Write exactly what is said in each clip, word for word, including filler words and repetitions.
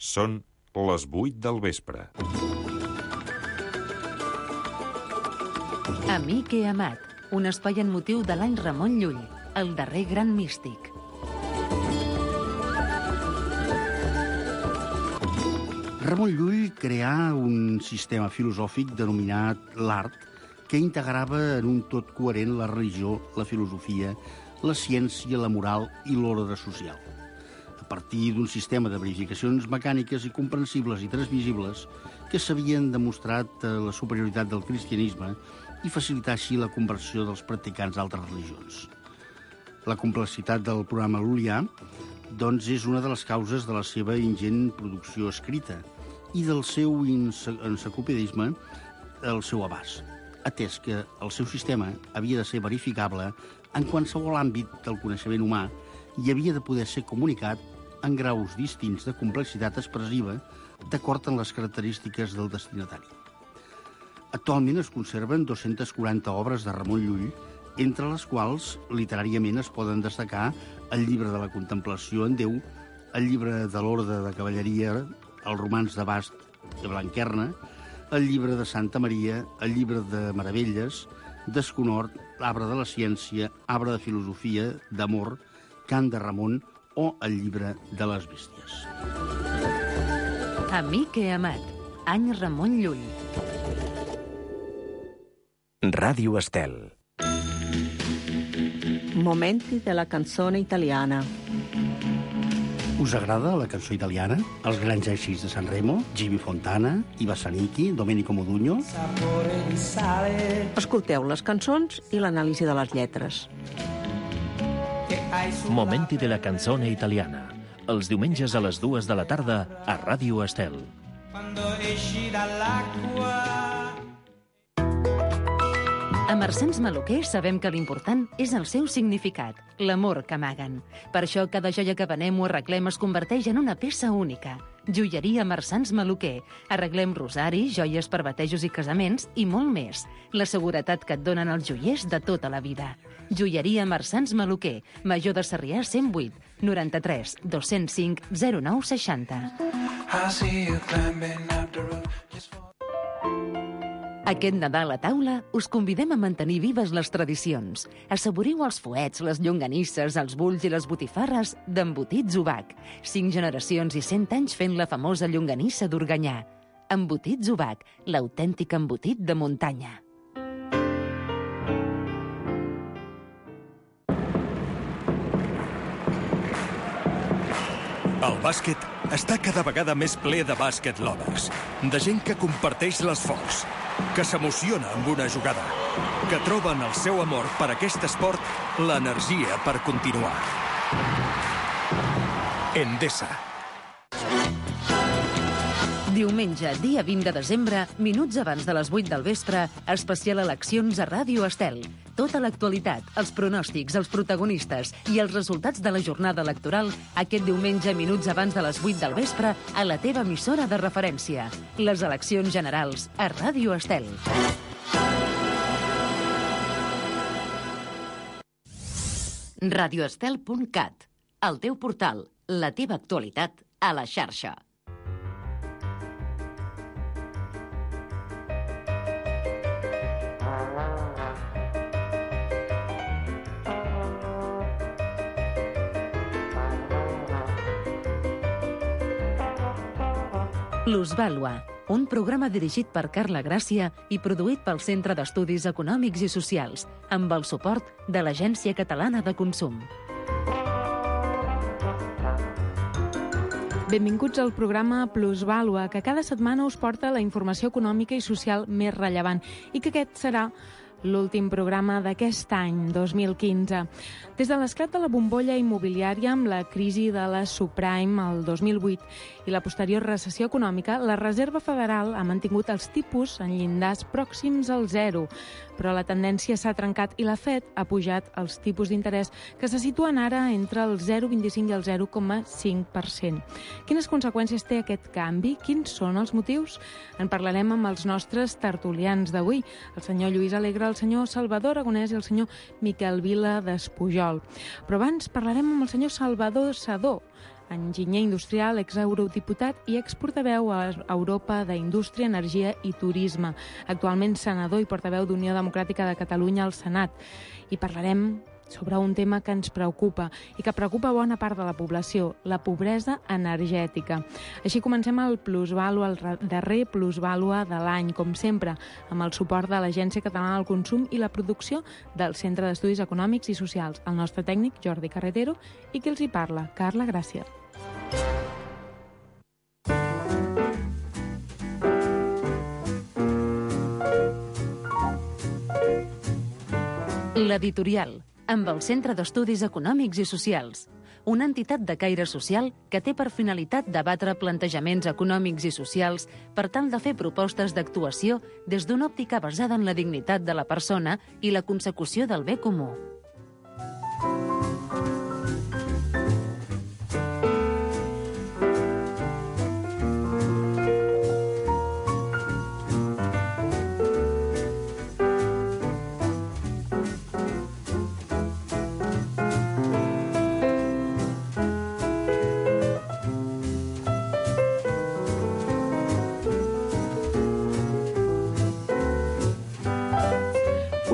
Són les vuit del vespre. Amic he amat, un espai en motiu de l'any Ramon Llull, el darrer gran místic. Ramon Llull creà un sistema filosòfic denominat l'art que integrava en un tot coherent la religió, la filosofia, la ciència, la moral i l'ordre social. A partir d'un sistema de verificacions mecàniques i comprensibles i transmissibles que s'havien demostrat la superioritat del cristianisme i facilitar així la conversió dels practicants d'altres religions. La complexitat del programa lul·lià, doncs, és una de les causes de la seva ingent producció escrita i del seu enciclopedisme el seu abast, atès que el seu sistema havia de ser verificable en qualsevol àmbit del coneixement humà i havia de poder ser comunicat en graus distints de complexitat expressiva d'acord amb les característiques del destinatari. Actualment es conserven dues-centes quaranta obres de Ramon Llull, entre les quals literàriament es poden destacar el llibre de la contemplació en Déu, el llibre de l'Orde de Cavalleria, el romanç de Bast de Blanquerna, el llibre de Santa Maria, el llibre de Meravelles, Desconhort, l'arbre de la ciència, arbre de filosofia, d'amor, Cant de Ramon o el llibre de les bèsties. Amic he amat, any Ramon Llull. Ràdio Estel. Momenti della canzone italiana. Us agrada la cançó italiana? Els grans èxits de Sanremo, Jimmy Fontana, Iva Zanicchi, Domenico Modugno? Escolteu les cançons i l'anàlisi de les lletres. Momenti della canzone italiana. Els diumenges a les dues de la tarda a Ràdio Estel. A Marsans Maluquer sabem que l'important és el seu significat, l'amor que amaguen. Per això cada joia que venem o arreglem es converteix en una peça única. Joieria Marsans Maluquer. Arreglem rosaris, joies per batejos i casaments i molt més. La seguretat que et donen els joiers de tota la vida. Joieria Marsans Maluquer. Major de Sarrià cent vuit, noranta-tres, dos-cents cinc, zero nou seixanta. Aquest Nadal a taula us convidem a mantenir vives les tradicions. Assaboriu els fuets, les llonganisses, els bulls i les botifarres d'Embotits Ubac. Cinc generacions i cent anys fent la famosa llonganissa d'Organyà. Embotits Ubac, l'autèntic embotit de muntanya. El bàsquet està cada vegada més ple de bàsquet lovers, de gent que comparteix l'esforç, que s'emociona amb una jugada, que troba en el seu amor per aquest esport l'energia per continuar. Endesa. Diumenge, dia vint de desembre, minuts abans de les vuit del vespre, especial eleccions a Ràdio Estel. Tota l'actualitat, els pronòstics, els protagonistes i els resultats de la jornada electoral aquest diumenge, minuts abans de les vuit del vespre, a la teva emissora de referència. Les eleccions generals a Ràdio Estel. radioestel punt cat, el teu portal, la teva actualitat a la xarxa. Plusvàlua, un programa dirigit per Carla Gràcia i produït pel Centre d'Estudis Econòmics i Socials, amb el suport de l'Agència Catalana de Consum. Benvinguts al programa Plusvàlua, que cada setmana us porta la informació econòmica i social més rellevant i que aquest serà l'últim programa d'aquest any, dos mil quinze. Des de l'esclat de la bombolla immobiliària amb la crisi de la subprime el dos mil vuit i la posterior recessió econòmica, la Reserva Federal ha mantingut els tipus en llindars pròxims al zero, però la tendència s'ha trencat i la Fed ha pujat els tipus d'interès que se situen ara entre el zero coma vint-i-cinc i el zero coma cinc per cent. Quines conseqüències té aquest canvi? Quins són els motius? En parlarem amb els nostres tertulians d'avui, el senyor Lluís Alegre, el senyor Salvador Aragonès i el senyor Miquel Vila d'Espujol. Però abans parlarem amb el senyor Salvador Sadó, enginyer industrial, exeurodiputat i exportaveu a Europa d'Indústria, Energia i Turisme. Actualment senador i portaveu d'Unió Democràtica de Catalunya al Senat. I parlarem sobre un tema que ens preocupa i que preocupa bona part de la població, la pobresa energètica. Així comencem el plusvàlua, el darrer plusvàlua de l'any, com sempre, amb el suport de l'Agència Catalana del Consum i la producció del Centre d'Estudis Econòmics i Socials, el nostre tècnic Jordi Carretero, i qui els hi parla, Carla Gràcia. L'editorial, amb el Centre d'Estudis Econòmics i Socials, una entitat de caire social que té per finalitat debatre plantejaments econòmics i socials per tal de fer propostes d'actuació des d'una òptica basada en la dignitat de la persona i la consecució del bé comú.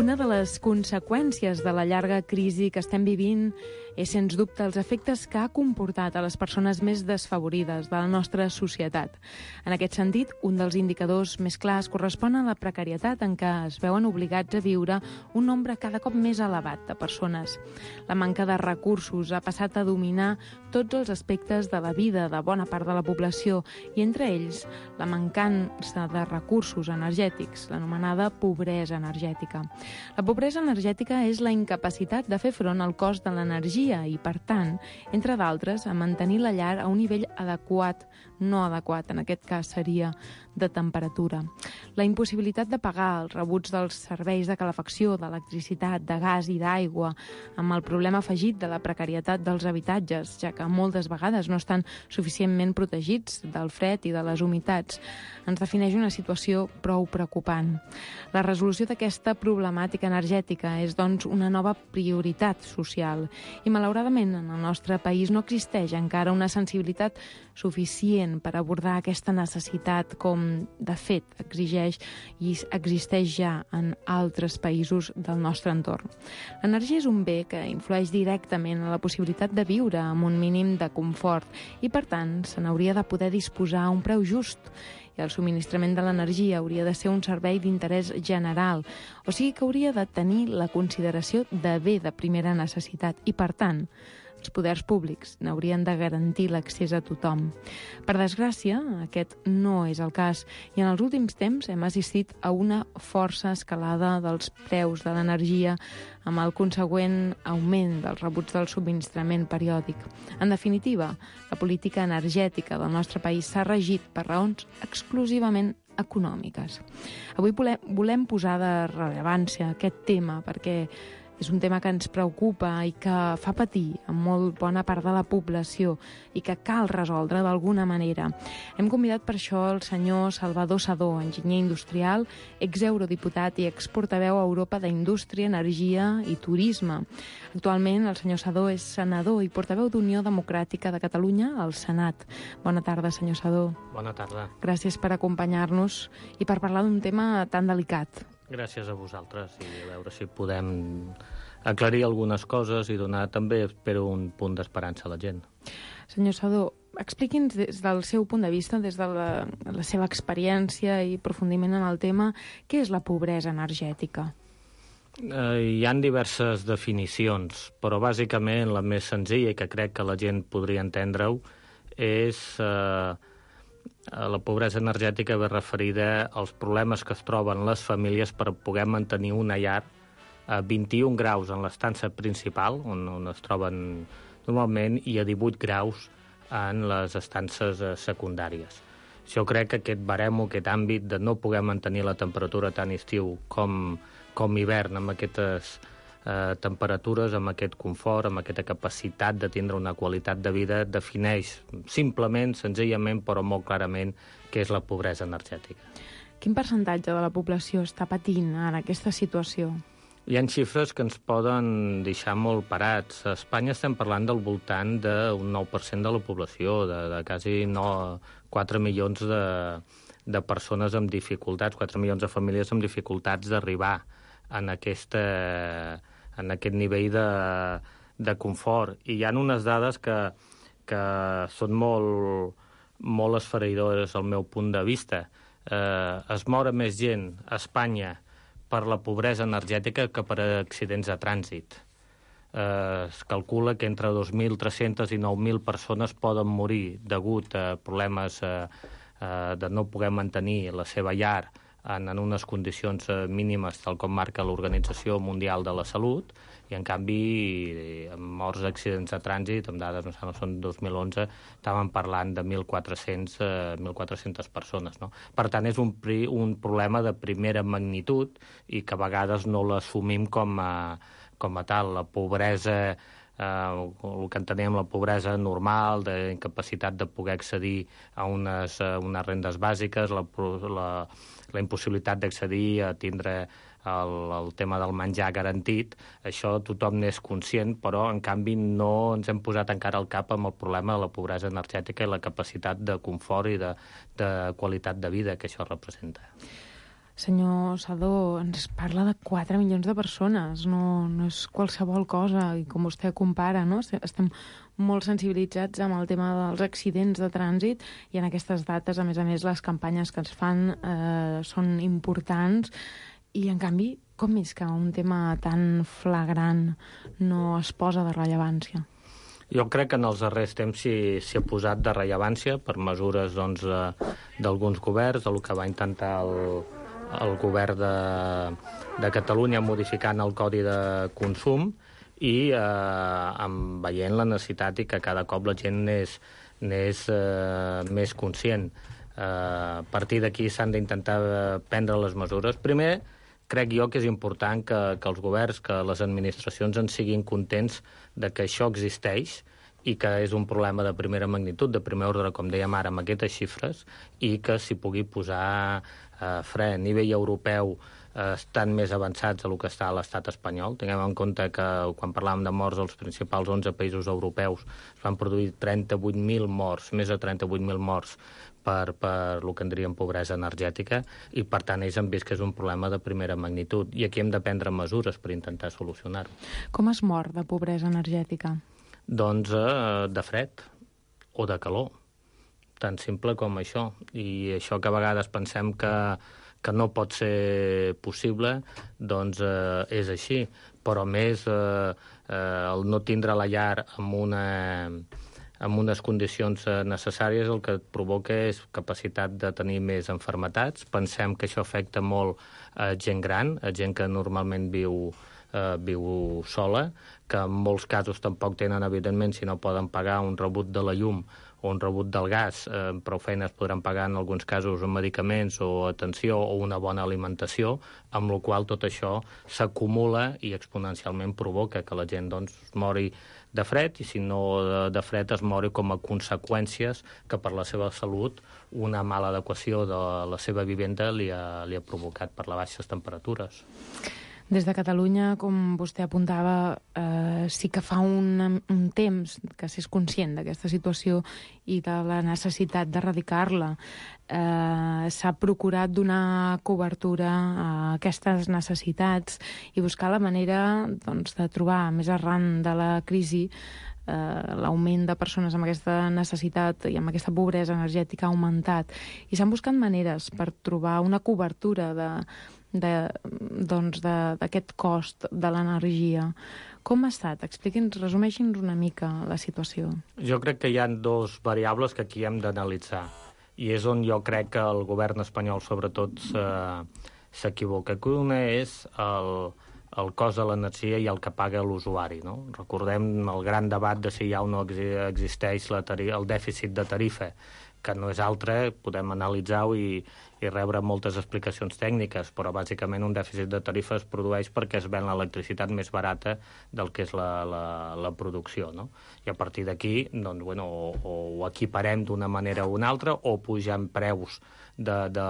Una de les conseqüències de la llarga crisi que estem vivint és, sens dubte, els efectes que ha comportat a les persones més desfavorides de la nostra societat. En aquest sentit, un dels indicadors més clars correspon a la precarietat en què es veuen obligats a viure un nombre cada cop més elevat de persones. La manca de recursos ha passat a dominar tots els aspectes de la vida de bona part de la població i, entre ells, la mancança de recursos energètics, l'anomenada pobresa energètica. La pobresa energètica és la incapacitat de fer front al cost de l'energia i, per tant, entre d'altres, a mantenir la llar a un nivell adequat, no adequat, en aquest cas seria de temperatura. La impossibilitat de pagar els rebuts dels serveis de calefacció, d'electricitat, de gas i d'aigua, amb el problema afegit de la precarietat dels habitatges, ja que moltes vegades no estan suficientment protegits del fred i de les humitats, ens defineix una situació prou preocupant. La resolució d'aquesta problemàtica energètica és, doncs, una nova prioritat social i, malauradament, en el nostre país no existeix encara una sensibilitat suficient per abordar aquesta necessitat com, de fet, exigeix i existeix ja en altres països del nostre entorn. L'energia és un bé que influeix directament en la possibilitat de viure amb un mínim de confort i, per tant, se n'hauria de poder disposar a un preu just. I el subministrament de l'energia hauria de ser un servei d'interès general, o sigui que hauria de tenir la consideració de bé de primera necessitat i, per tant, els poders públics n'haurien de garantir l'accés a tothom. Per desgràcia, aquest no és el cas i en els últims temps hem assistit a una força escalada dels preus de l'energia amb el consegüent augment dels rebuts del subministrament periòdic. En definitiva, la política energètica del nostre país s'ha regit per raons exclusivament econòmiques. Avui volem posar de rellevància aquest tema perquè és un tema que ens preocupa i que fa patir a molt bona part de la població i que cal resoldre d'alguna manera. Hem convidat per això el senyor Salvador Sedó, enginyer industrial, exeurodiputat i exportaveu a Europa d'Indústria, Energia i Turisme. Actualment, el senyor Sedó és senador i portaveu d'Unió Democràtica de Catalunya al Senat. Bona tarda, senyor Sedó. Bona tarda. Gràcies per acompanyar-nos i per parlar d'un tema tan delicat. Gràcies a vosaltres i a veure si podem aclarir algunes coses i donar també, espero, un punt d'esperança a la gent. Senyor Sedó, expliqui'ns des del seu punt de vista, des de la, la seva experiència i aprofundiment en el tema, què és la pobresa energètica? Eh, hi ha diverses definicions, però bàsicament la més senzilla i que crec que la gent podria entendre-ho és... Eh, La pobresa energètica ve referida als problemes que es troben les famílies per poder mantenir una llar a vint-i-un graus en l'estança principal, on, on es troben normalment, i a divuit graus en les estances secundàries. Jo crec que aquest baremo, aquest àmbit de no poder mantenir la temperatura tant estiu com, com hivern amb aquestes eh, temperatures, amb aquest confort, amb aquesta capacitat de tindre una qualitat de vida, defineix simplement, senzillament, però molt clarament, què és la pobresa energètica. Quin percentatge de la població està patint en aquesta situació? Hi ha xifres que ens poden deixar molt parats. A Espanya estem parlant del voltant d'un nou per cent de la població, de, de quasi no, quatre milions de, de persones amb dificultats, quatre milions de famílies amb dificultats d'arribar en, aquesta, en aquest nivell de, de confort. I hi ha unes dades que, que són molt, molt esfereïdores al meu punt de vista. Eh, es mora més gent a Espanya per la pobresa energètica que per accidents de trànsit. Eh, es calcula que entre dos mil tres-cents i nou mil persones poden morir degut a problemes eh, eh, de no poder mantenir la seva llar en, en unes condicions eh, mínimes, tal com marca l'Organització Mundial de la Salut, i en canvi, amb morts d'accidents de trànsit, amb dades, no sé, no són dos mil onze, estàvem parlant de mil quatre-cents, eh, mil quatre-centes persones. No? Per tant, és un, un problema de primera magnitud i que a vegades no l'assumim com a, com a tal. La pobresa, eh, el que entenem la pobresa normal, d'incapacitat de poder accedir a unes, a unes rendes bàsiques, la, la, la impossibilitat d'accedir a tindre El, el tema del menjar garantit, això tothom n'és conscient, però en canvi no ens hem posat encara al cap amb el problema de la pobresa energètica i la capacitat de confort i de, de qualitat de vida que això representa. Senyor Sadó, ens parla de quatre milions de persones, no, no és qualsevol cosa, i com vostè compara, no? Estem molt sensibilitzats amb el tema dels accidents de trànsit, i en aquestes dates, a més a més, les campanyes que es fan eh, són importants. I, en canvi, com és que un tema tan flagrant no es posa de rellevància? Jo crec que en els darrers temps s'hi ha posat de rellevància per mesures doncs, d'alguns governs, del que va intentar el, el govern de, de Catalunya modificant el Codi de Consum i eh, amb, veient la necessitat i que cada cop la gent n'és, n'és eh, més conscient. Eh, a partir d'aquí s'han d'intentar prendre les mesures. Primer, crec jo que és important que, que els governs, que les administracions en siguin contents de que això existeix i que és un problema de primera magnitud, de primer ordre, com dèiem ara, amb aquestes xifres, i que s'hi pugui posar eh, fre. A nivell europeu eh, estan més avançats del que està a l'estat espanyol. Tinguem en compte que quan parlàvem de morts als principals onze països europeus es van produir trenta-vuit mil morts, més de trenta-vuit mil morts per, per el que en diríem pobresa energètica, i per tant ells han vist que és un problema de primera magnitud, i aquí hem de prendre mesures per intentar solucionar-ho. Com es mor de pobresa energètica? Doncs eh, de fred o de calor, tan simple com això. I això que a vegades pensem que, que no pot ser possible, doncs eh, és així. Però més eh, eh, el no tindre la llar amb una... amb unes condicions necessàries, el que et provoca és capacitat de tenir més enfermetats. Pensem que això afecta molt a gent gran, a gent que normalment viu, eh, viu sola, que en molts casos tampoc tenen, evidentment, si no poden pagar un rebut de la llum o un rebut del gas, eh, prou feines podran pagar en alguns casos medicaments o atenció o una bona alimentació, amb la qual tot això s'acumula i exponencialment provoca que la gent doncs, mori de fred, i si no de, de fred es mori com a conseqüències que per la seva salut una mala adequació de la seva vivenda li ha, li ha provocat per les baixes temperatures. Des de Catalunya, com vostè apuntava, eh, sí que fa un, un temps que s'és conscient d'aquesta situació i de la necessitat d'erradicar-la. Eh, s'ha procurat donar cobertura a aquestes necessitats i buscar la manera doncs, de trobar, més arran de la crisi, eh, l'augment de persones amb aquesta necessitat i amb aquesta pobresa energètica ha augmentat. I s'han buscat maneres per trobar una cobertura de de, doncs d'aquest cost de l'energia. Com ha estat? Expliqui'ns, resumeixi'ns una mica la situació. Jo crec que hi ha dos variables que aquí hem d'analitzar, i és on jo crec que el govern espanyol sobretot s'equivoca. Una és el, el cost de l'energia i el que paga l'usuari. No? Recordem el gran debat de si hi ha o no existeix la tarifa, el dèficit de tarifa, que no és altre, podem analitzar-ho i, i rebre moltes explicacions tècniques, però bàsicament un dèficit de tarifa es produeix perquè es ven l'electricitat més barata del que és la, la, la producció. No? I a partir d'aquí doncs, bueno, o, o ho equiparem d'una manera o una altra, o pugem preus de, de,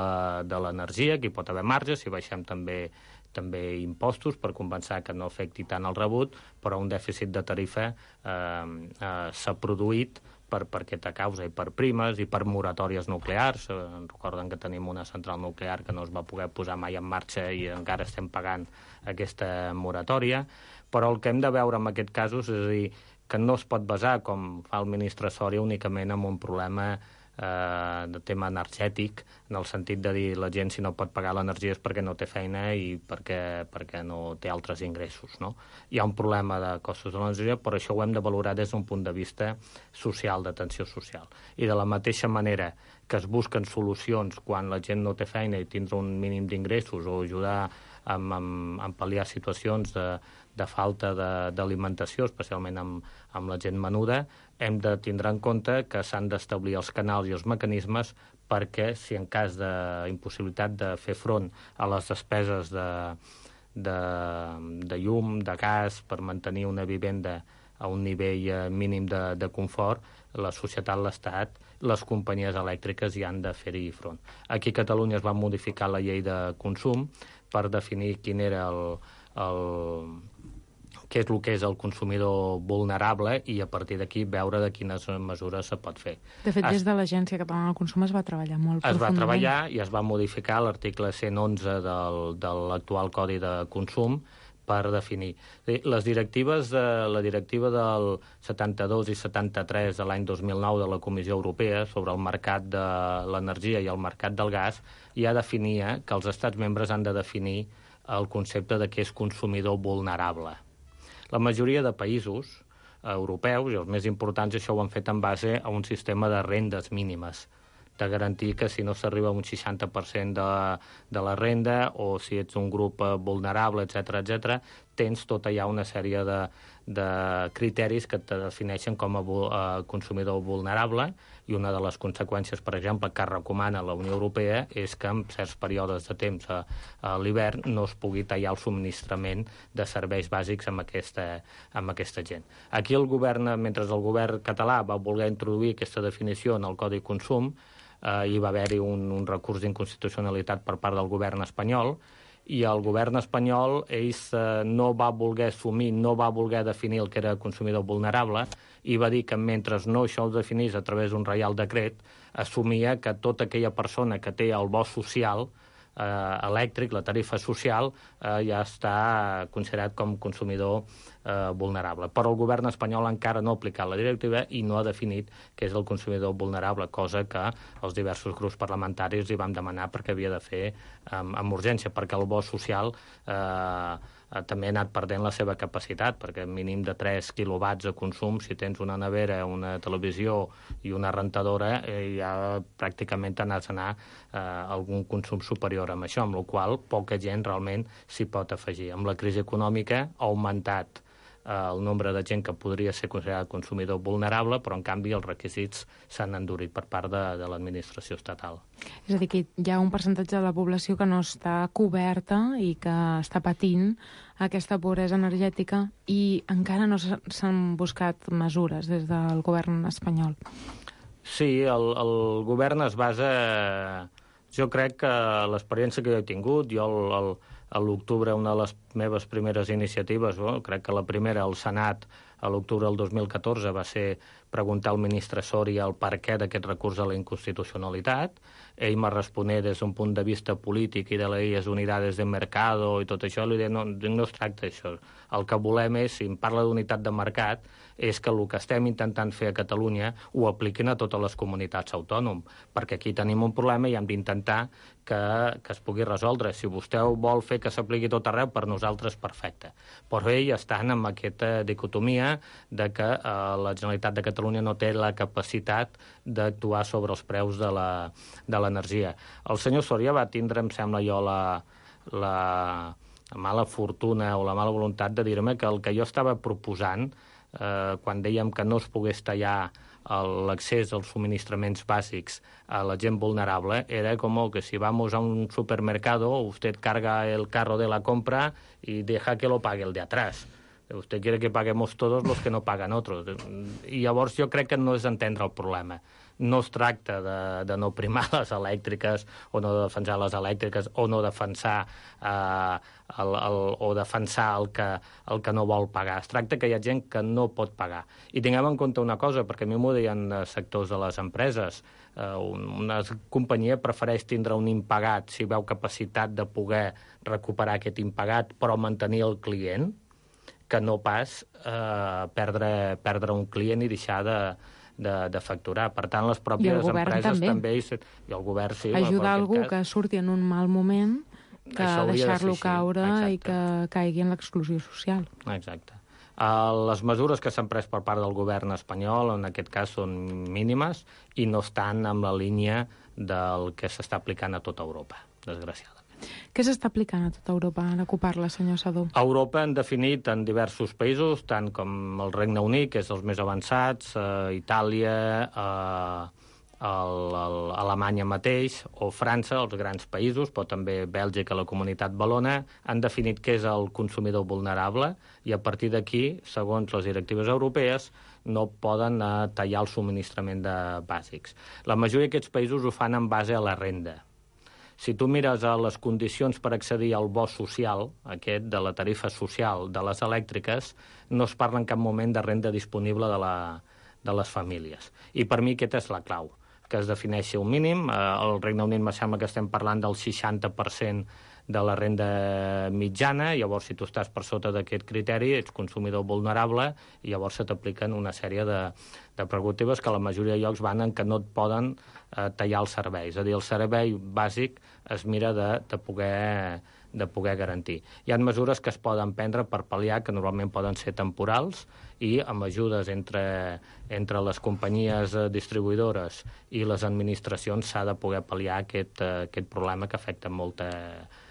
de l'energia, que hi pot haver marge, si baixem també també impostos per compensar que no afecti tant el rebut, però un dèficit de tarifa eh, eh, s'ha produït per, per aquesta causa, i per primes i per moratòries nuclears. Eh, recorden que tenim una central nuclear que no es va poder posar mai en marxa i encara estem pagant aquesta moratòria. Però el que hem de veure en aquests casos és a dir, que no es pot basar, com fa el ministre Soria, únicament en un problema eh, de tema energètic, en el sentit de dir la gent si no pot pagar l'energia és perquè no té feina i perquè, perquè no té altres ingressos, no? Hi ha un problema de costos de l'energia, però això ho hem de valorar des d'un punt de vista social, d'atenció social. I de la mateixa manera que es busquen solucions quan la gent no té feina i tindre un mínim d'ingressos o ajudar a, a, a pal·liar situacions de, de falta d'alimentació, especialment amb, amb la gent menuda, hem de tindre en compte que s'han d'establir els canals i els mecanismes perquè, si en cas d'impossibilitat de fer front a les despeses de, de, de llum, de gas, per mantenir una vivenda a un nivell mínim de, de confort, la societat, l'Estat, les companyies elèctriques hi han de fer-hi front. Aquí a Catalunya es va modificar la llei de consum per definir quin era el, el, què és el que és el consumidor vulnerable i a partir d'aquí veure de quines mesures se pot fer. De fet, es, des de l'Agència Catalana del Consum es va treballar molt es profundament. Es va treballar i es va modificar l'article cent onze del, de l'actual Codi de Consum per definir. Les directives de, la directiva del setanta-dos i setanta-tres de l'any dos mil nou de la Comissió Europea sobre el mercat de l'energia i el mercat del gas ja definia que els estats membres han de definir el concepte de què és consumidor vulnerable. La majoria de països europeus, i els més importants, això ho han fet en base a un sistema de rendes mínimes, de garantir que si no s'arriba a un seixanta per cent de, de la renda o si ets un grup vulnerable, etcètera, etcètera, tens tota ja una sèrie de, de criteris que te defineixen com a uh, consumidor vulnerable, i una de les conseqüències, per exemple, que recomana la Unió Europea és que en certs períodes de temps a, a l'hivern no es pugui tallar el subministrament de serveis bàsics amb aquesta, amb aquesta gent. Aquí el govern, mentre el govern català va voler introduir aquesta definició en el Codi Consum, eh, hi va haver-hi un, un recurs d'inconstitucionalitat per part del govern espanyol, i el govern espanyol ells eh, no va voler assumir, no va voler definir el que era consumidor vulnerable, i va dir que mentre no això ho definís a través d'un reial decret, assumia que tota aquella persona que té el bo social eh, elèctric, la tarifa social, eh, ja està considerat com consumidor eh, vulnerable. Però el govern espanyol encara no ha aplicat la directiva i no ha definit què és el consumidor vulnerable, cosa que els diversos grups parlamentaris li vam demanar perquè havia de fer amb, amb urgència, perquè el bo social eh, també ha anat perdent la seva capacitat, perquè mínim de tres quilowatts de consum, si tens una nevera, una televisió i una rentadora, eh, ja pràcticament t'anàs a anar eh, algun consum superior amb això, amb la qual poca gent realment s'hi pot afegir. Amb la crisi econòmica ha augmentat eh, el nombre de gent que podria ser considerat consumidor vulnerable, però en canvi els requisits s'han endurit per part de, de l'administració estatal. És a dir, que hi ha un percentatge de la població que no està coberta i que està patint aquesta pobresa energètica i encara no s'han buscat mesures des del govern espanyol. Sí, el, el govern es basa... Jo crec que l'experiència que jo he tingut, jo el, el, a l'octubre una de les meves primeres iniciatives, bueno, crec que la primera al Senat a l'octubre del dos mil catorze va ser preguntar al ministre Soria el per què d'aquest recurs a la inconstitucionalitat. Ell m'ha responé des d'un punt de vista polític i de les unidades de mercado i tot això, li deia, no, no es tracta d'això. El que volem és, si em parla d'unitat de mercat, és que el que estem intentant fer a Catalunya ho apliquin a totes les comunitats autònomes, perquè aquí tenim un problema i hem d'intentar que, que es pugui resoldre. Si vostè vol fer que s'apliqui tot arreu, per nosaltres perfecte. Però ell estan amb aquesta dicotomia de que eh, la Generalitat de Catalunya no té la capacitat d'actuar sobre els preus de l'energia. El senyor Soria va tindre, em sembla jo, la, la mala fortuna o la mala voluntat de dir-me que el que jo estava proposant, eh, quan dèiem que no es pogués tallar l'accés als subministraments bàsics a la gent vulnerable, era com que si vamos a un supermercado, usted carga el carro de la compra y deja que lo pague el de atrás. Usted quiere que paguemos todos los que no paguen otros. I llavors jo crec que no és entendre el problema. no es tracta de, de no primar les elèctriques o no de defensar les elèctriques o no defensar eh, el, el, o defensar el que, el que no vol pagar. Es tracta que hi ha gent que no pot pagar. I tinguem en compte una cosa, perquè a mi m'ho deien sectors de les empreses. Eh, una companyia prefereix tindre un impagat si veu capacitat de poder recuperar aquest impagat però mantenir el client, que no pas eh, perdre, perdre un client i deixar de De, de facturar. Per tant, les pròpies empreses també. també i, i el govern sí. Ajudar algú cas... que surti en un mal moment que deixar-lo de caure Exacte. I que caigui en l'exclusió social. Exacte. Uh, les mesures que s'han pres per part del govern espanyol, en aquest cas, són mínimes i no estan en la línia del que s'està aplicant a tota Europa, desgraciadament. Què s'està aplicant a tota Europa, ara que ho parla, senyor Sadó? A Europa han definit en diversos països, tant com el Regne Unit, que és els més avançats, eh, Itàlia, eh, el, el, Alemanya mateix, o França, els grans països, però també Bèlgica, la Comunitat Valona, han definit què és el consumidor vulnerable i a partir d'aquí, segons les directives europees, no poden eh, tallar el subministrament de bàsics. La majoria d'aquests països ho fan en base a la renda. Si tu mires a les condicions per accedir al bo social, aquest de la tarifa social de les elèctriques, no es parla en cap moment de renda disponible de, la, de les famílies. I per mi aquesta és la clau, que es defineixi un mínim. Al Regne Unit me sembla que estem parlant del seixanta per cent de la renda mitjana, llavors si tu estàs per sota d'aquest criteri ets consumidor vulnerable i llavors se t'apliquen una sèrie de, de prerrogatives que a la majoria de llocs van en que no et poden eh, tallar els serveis. És a dir, el servei bàsic es mira de, de, poder, de poder garantir. Hi ha mesures que es poden prendre per pal·liar, que normalment poden ser temporals, i amb ajudes entre, entre les companyies distribuïdores i les administracions s'ha de poder pal·liar aquest, aquest problema que afecta molta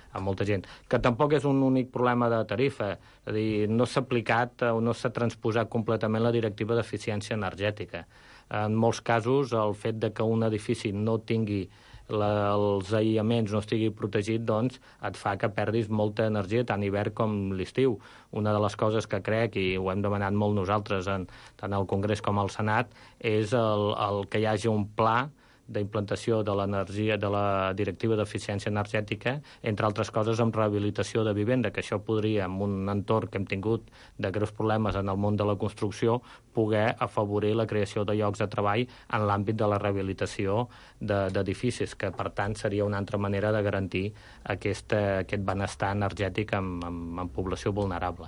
a molta gent, que tampoc és un únic problema de tarifa, és a dir, no s'ha aplicat o no s'ha transposat completament la directiva d'eficiència energètica. En molts casos, el fet de que un edifici no tingui la, els aïllaments, no estigui protegit, doncs et fa que perdis molta energia, tant hivern com l'estiu. Una de les coses que crec, i ho hem demanat molt nosaltres, en, tant al Congrés com al Senat, és el, el que hi hagi un pla d'implantació de l'energia de la directiva d'eficiència energètica, entre altres coses amb rehabilitació de vivenda, que això podria, en un entorn que hem tingut de greus problemes en el món de la construcció, poder afavorir la creació de llocs de treball en l'àmbit de la rehabilitació d'edificis, que per tant seria una altra manera de garantir aquest, aquest benestar energètic en, en, en població vulnerable.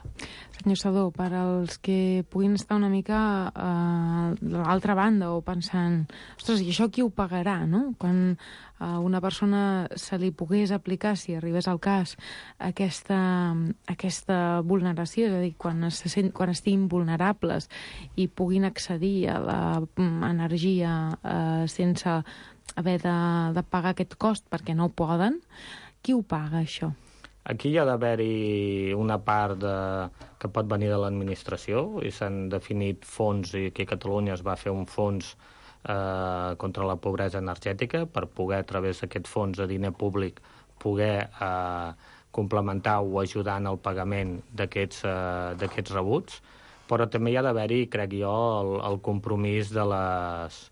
Senyor Sadó, per als que puguin estar una mica a l'altra banda o pensant, ostres, i això qui ho pagarà, no? Quan a una persona se li pogués aplicar, si arribés al cas, aquesta, aquesta vulneració, és a dir, quan, es, quan estiguin vulnerables i puguin accedir a l'energia eh, sense haver de, de pagar aquest cost perquè no poden, qui ho paga, això? Aquí hi ha d'haver-hi una part de, que pot venir de l'administració i s'han definit fons, i aquí a Catalunya es va fer un fons eh, contra la pobresa energètica per poder, a través d'aquest fons de diner públic, poder eh, complementar o ajudar en el pagament d'aquests eh, d'aquests rebuts, però també hi ha d'haver-hi, crec jo, el, el compromís de les,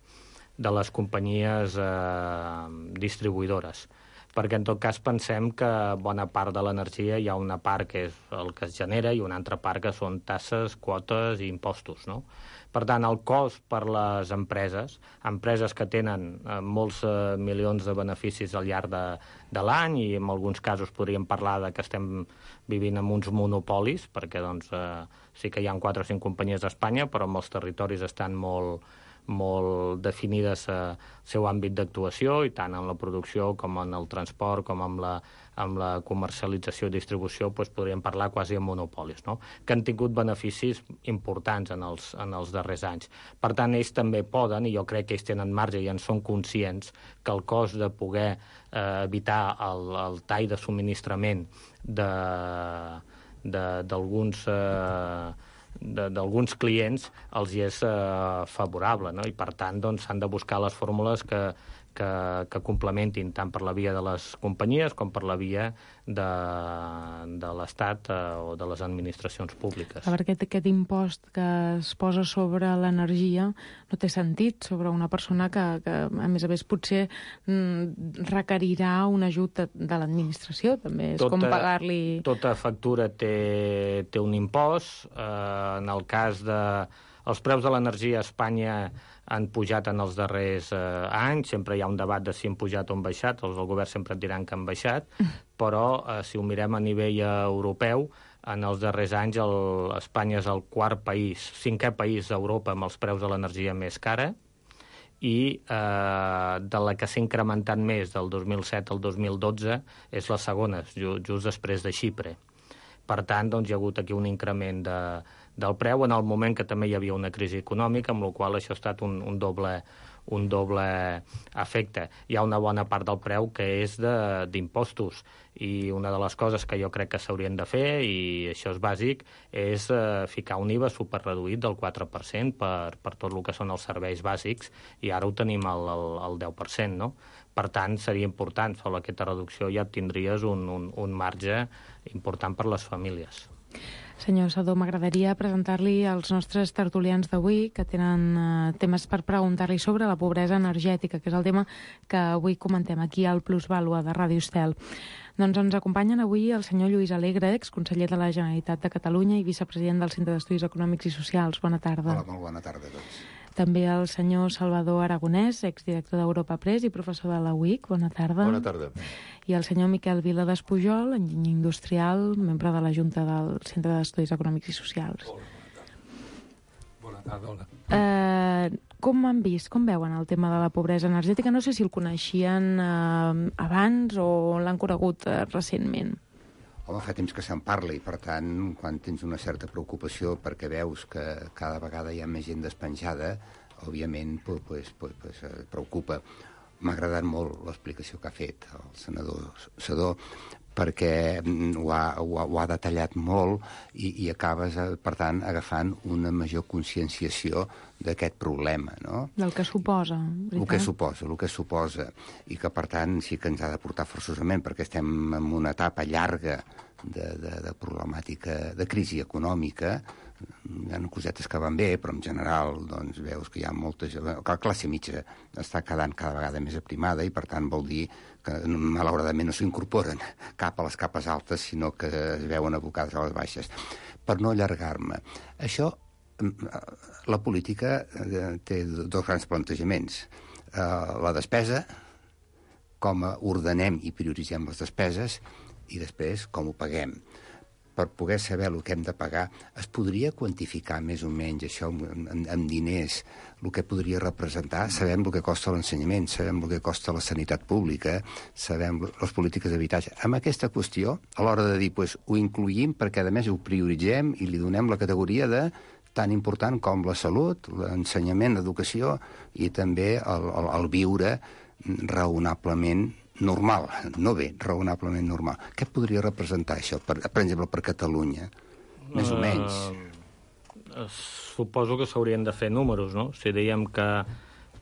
de les companyies eh, distribuïdores, perquè en tot cas pensem que bona part de l'energia hi ha una part que és el que es genera i una altra part que són tasses, quotes i impostos, no? Per tant, el cost per les empreses, empreses que tenen eh, molts eh, milions de beneficis al llarg de, de l'any, i en alguns casos podríem parlar de que estem vivint amb uns monopolis, perquè doncs, eh, sí que hi ha quatre o cinc companyies d'Espanya, però molts territoris estan molt molt definides el seu àmbit d'actuació, i tant en la producció com en el transport, com en la, amb la comercialització i distribució, doncs podríem parlar quasi de monopolis, no? Que han tingut beneficis importants en els, en els darrers anys. Per tant, ells també poden, i jo crec que ells tenen marge i en són conscients, que el cost de poder eh, evitar el, el tall de subministrament d'alguns eh, d'alguns clients els hi és eh, favorable, no? I per tant doncs, s'han de buscar les fórmules que, que, que complementin tant per la via de les companyies com per la via de, de l'Estat eh, o de les administracions públiques. A veure, aquest, aquest impost que es posa sobre l'energia no té sentit sobre una persona que, que a més a més, potser mm, requerirà un ajut de, de l'administració, també. És tota, com pagar-li... Tota factura té, té un impost. Eh, en el cas de... Els preus de l'energia a Espanya han pujat en els darrers eh, anys. Sempre hi ha un debat de si han pujat o han baixat. Els del govern sempre et diran que han baixat. Però, eh, si ho mirem a nivell europeu, en els darrers anys el, Espanya és el quart país, cinquè país d'Europa amb els preus de l'energia més cara, i eh, de la que s'ha incrementat més del dos mil set al dos mil dotze és la segona, just després de Xipre. Per tant, doncs, hi ha hagut aquí un increment de, del preu en el moment que també hi havia una crisi econòmica, amb la qual això ha estat un, un, doble, un doble efecte. Hi ha una bona part del preu que és d'impostos, i una de les coses que jo crec que s'haurien de fer, i això és bàsic, és eh, ficar un I V A superreduït del quatre per cent per, per tot el que són els serveis bàsics, i ara ho tenim al, al, al deu per cent, no? Per tant, seria important, sobre aquesta reducció ja tindries un, un, un marge important per les famílies. Senyor Sadó, m'agradaria presentar-li als nostres tertulians d'avui, que tenen eh, temes per preguntar-li sobre la pobresa energètica, que és el tema que avui comentem aquí al Plusvàlua de Ràdio Estel. Doncs ens acompanyen avui el senyor Lluís Alegre, exconseller de la Generalitat de Catalunya i vicepresident del Centre d'Estudis Econòmics i Socials. Bona tarda. Hola, molt bona tarda a tots. També el senyor Salvador Aragonès, exdirector d'Europa Press i professor de la U I C. Bona tarda. Bona tarda. I el senyor Miquel Vila Despujol, enginyer industrial, membre de la Junta del Centre d'Estudis Econòmics i Socials. Hola, bona tarda. Bona tarda, hola. Eh, com han vist, com veuen el tema de la pobresa energètica? No sé si el coneixien eh, abans o l'han conegut eh, recentment. Home, fa temps que se'n parla i, per tant, quan tens una certa preocupació perquè veus que cada vegada hi ha més gent despenjada, òbviament, pues, pues, pues, pues, preocupa. M'ha agradat molt l'explicació que ha fet el senador Sadó, perquè ho ha, ho ha, ho ha detallat molt i, i acabes, per tant, agafant una major conscienciació d'aquest problema, no? Del que suposa, veritat? El que suposa, el que suposa. I que, per tant, sí que ens ha de portar forçosament, perquè estem en una etapa llarga de, de, de problemàtica, de crisi econòmica. Hi ha cosetes que van bé, però en general doncs, veus que hi ha molta... que la classe mitja està quedant cada vegada més aprimada i, per tant, vol dir que malauradament no s'incorporen cap a les capes altes, sinó que es veuen abocades a les baixes. Per no allargar-me, això, la política té dos grans plantejaments. La despesa, com ordenem i prioritzem les despeses, i després com ho paguem. Per poder saber el que hem de pagar, es podria quantificar més o menys això amb, amb diners, el que podria representar? Sabem el que costa l'ensenyament, sabem el que costa la sanitat pública, sabem les polítiques d'habitatge. Amb aquesta qüestió, a l'hora de dir, pues, ho incluïm perquè, a més, ho prioritzem i li donem la categoria de tan important com la salut, l'ensenyament, l'educació i també el, el, el viure raonablement normal, no bé, raonablement normal. Què podria representar això, per, per exemple, per Catalunya? Més uh, o menys. Uh, suposo que s'haurien de fer números, no? Si dèiem que,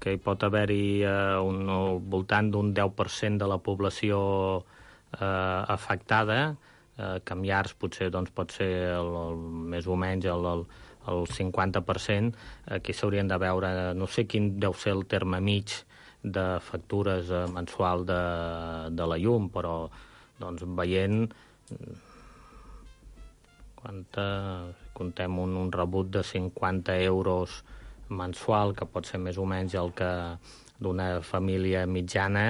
que hi pot haver-hi uh, un, al voltant d'un deu per cent de la població uh, afectada, uh, que en llars potser doncs, pot ser el, el, més o menys el, el, el cinquanta per cent, aquí s'haurien de veure, no sé quin deu ser el terme mig de factures eh, mensual de, de la llum, però doncs, veient quanta, contem un, un rebut de cinquanta euros mensual, que pot ser més o menys el que d'una família mitjana,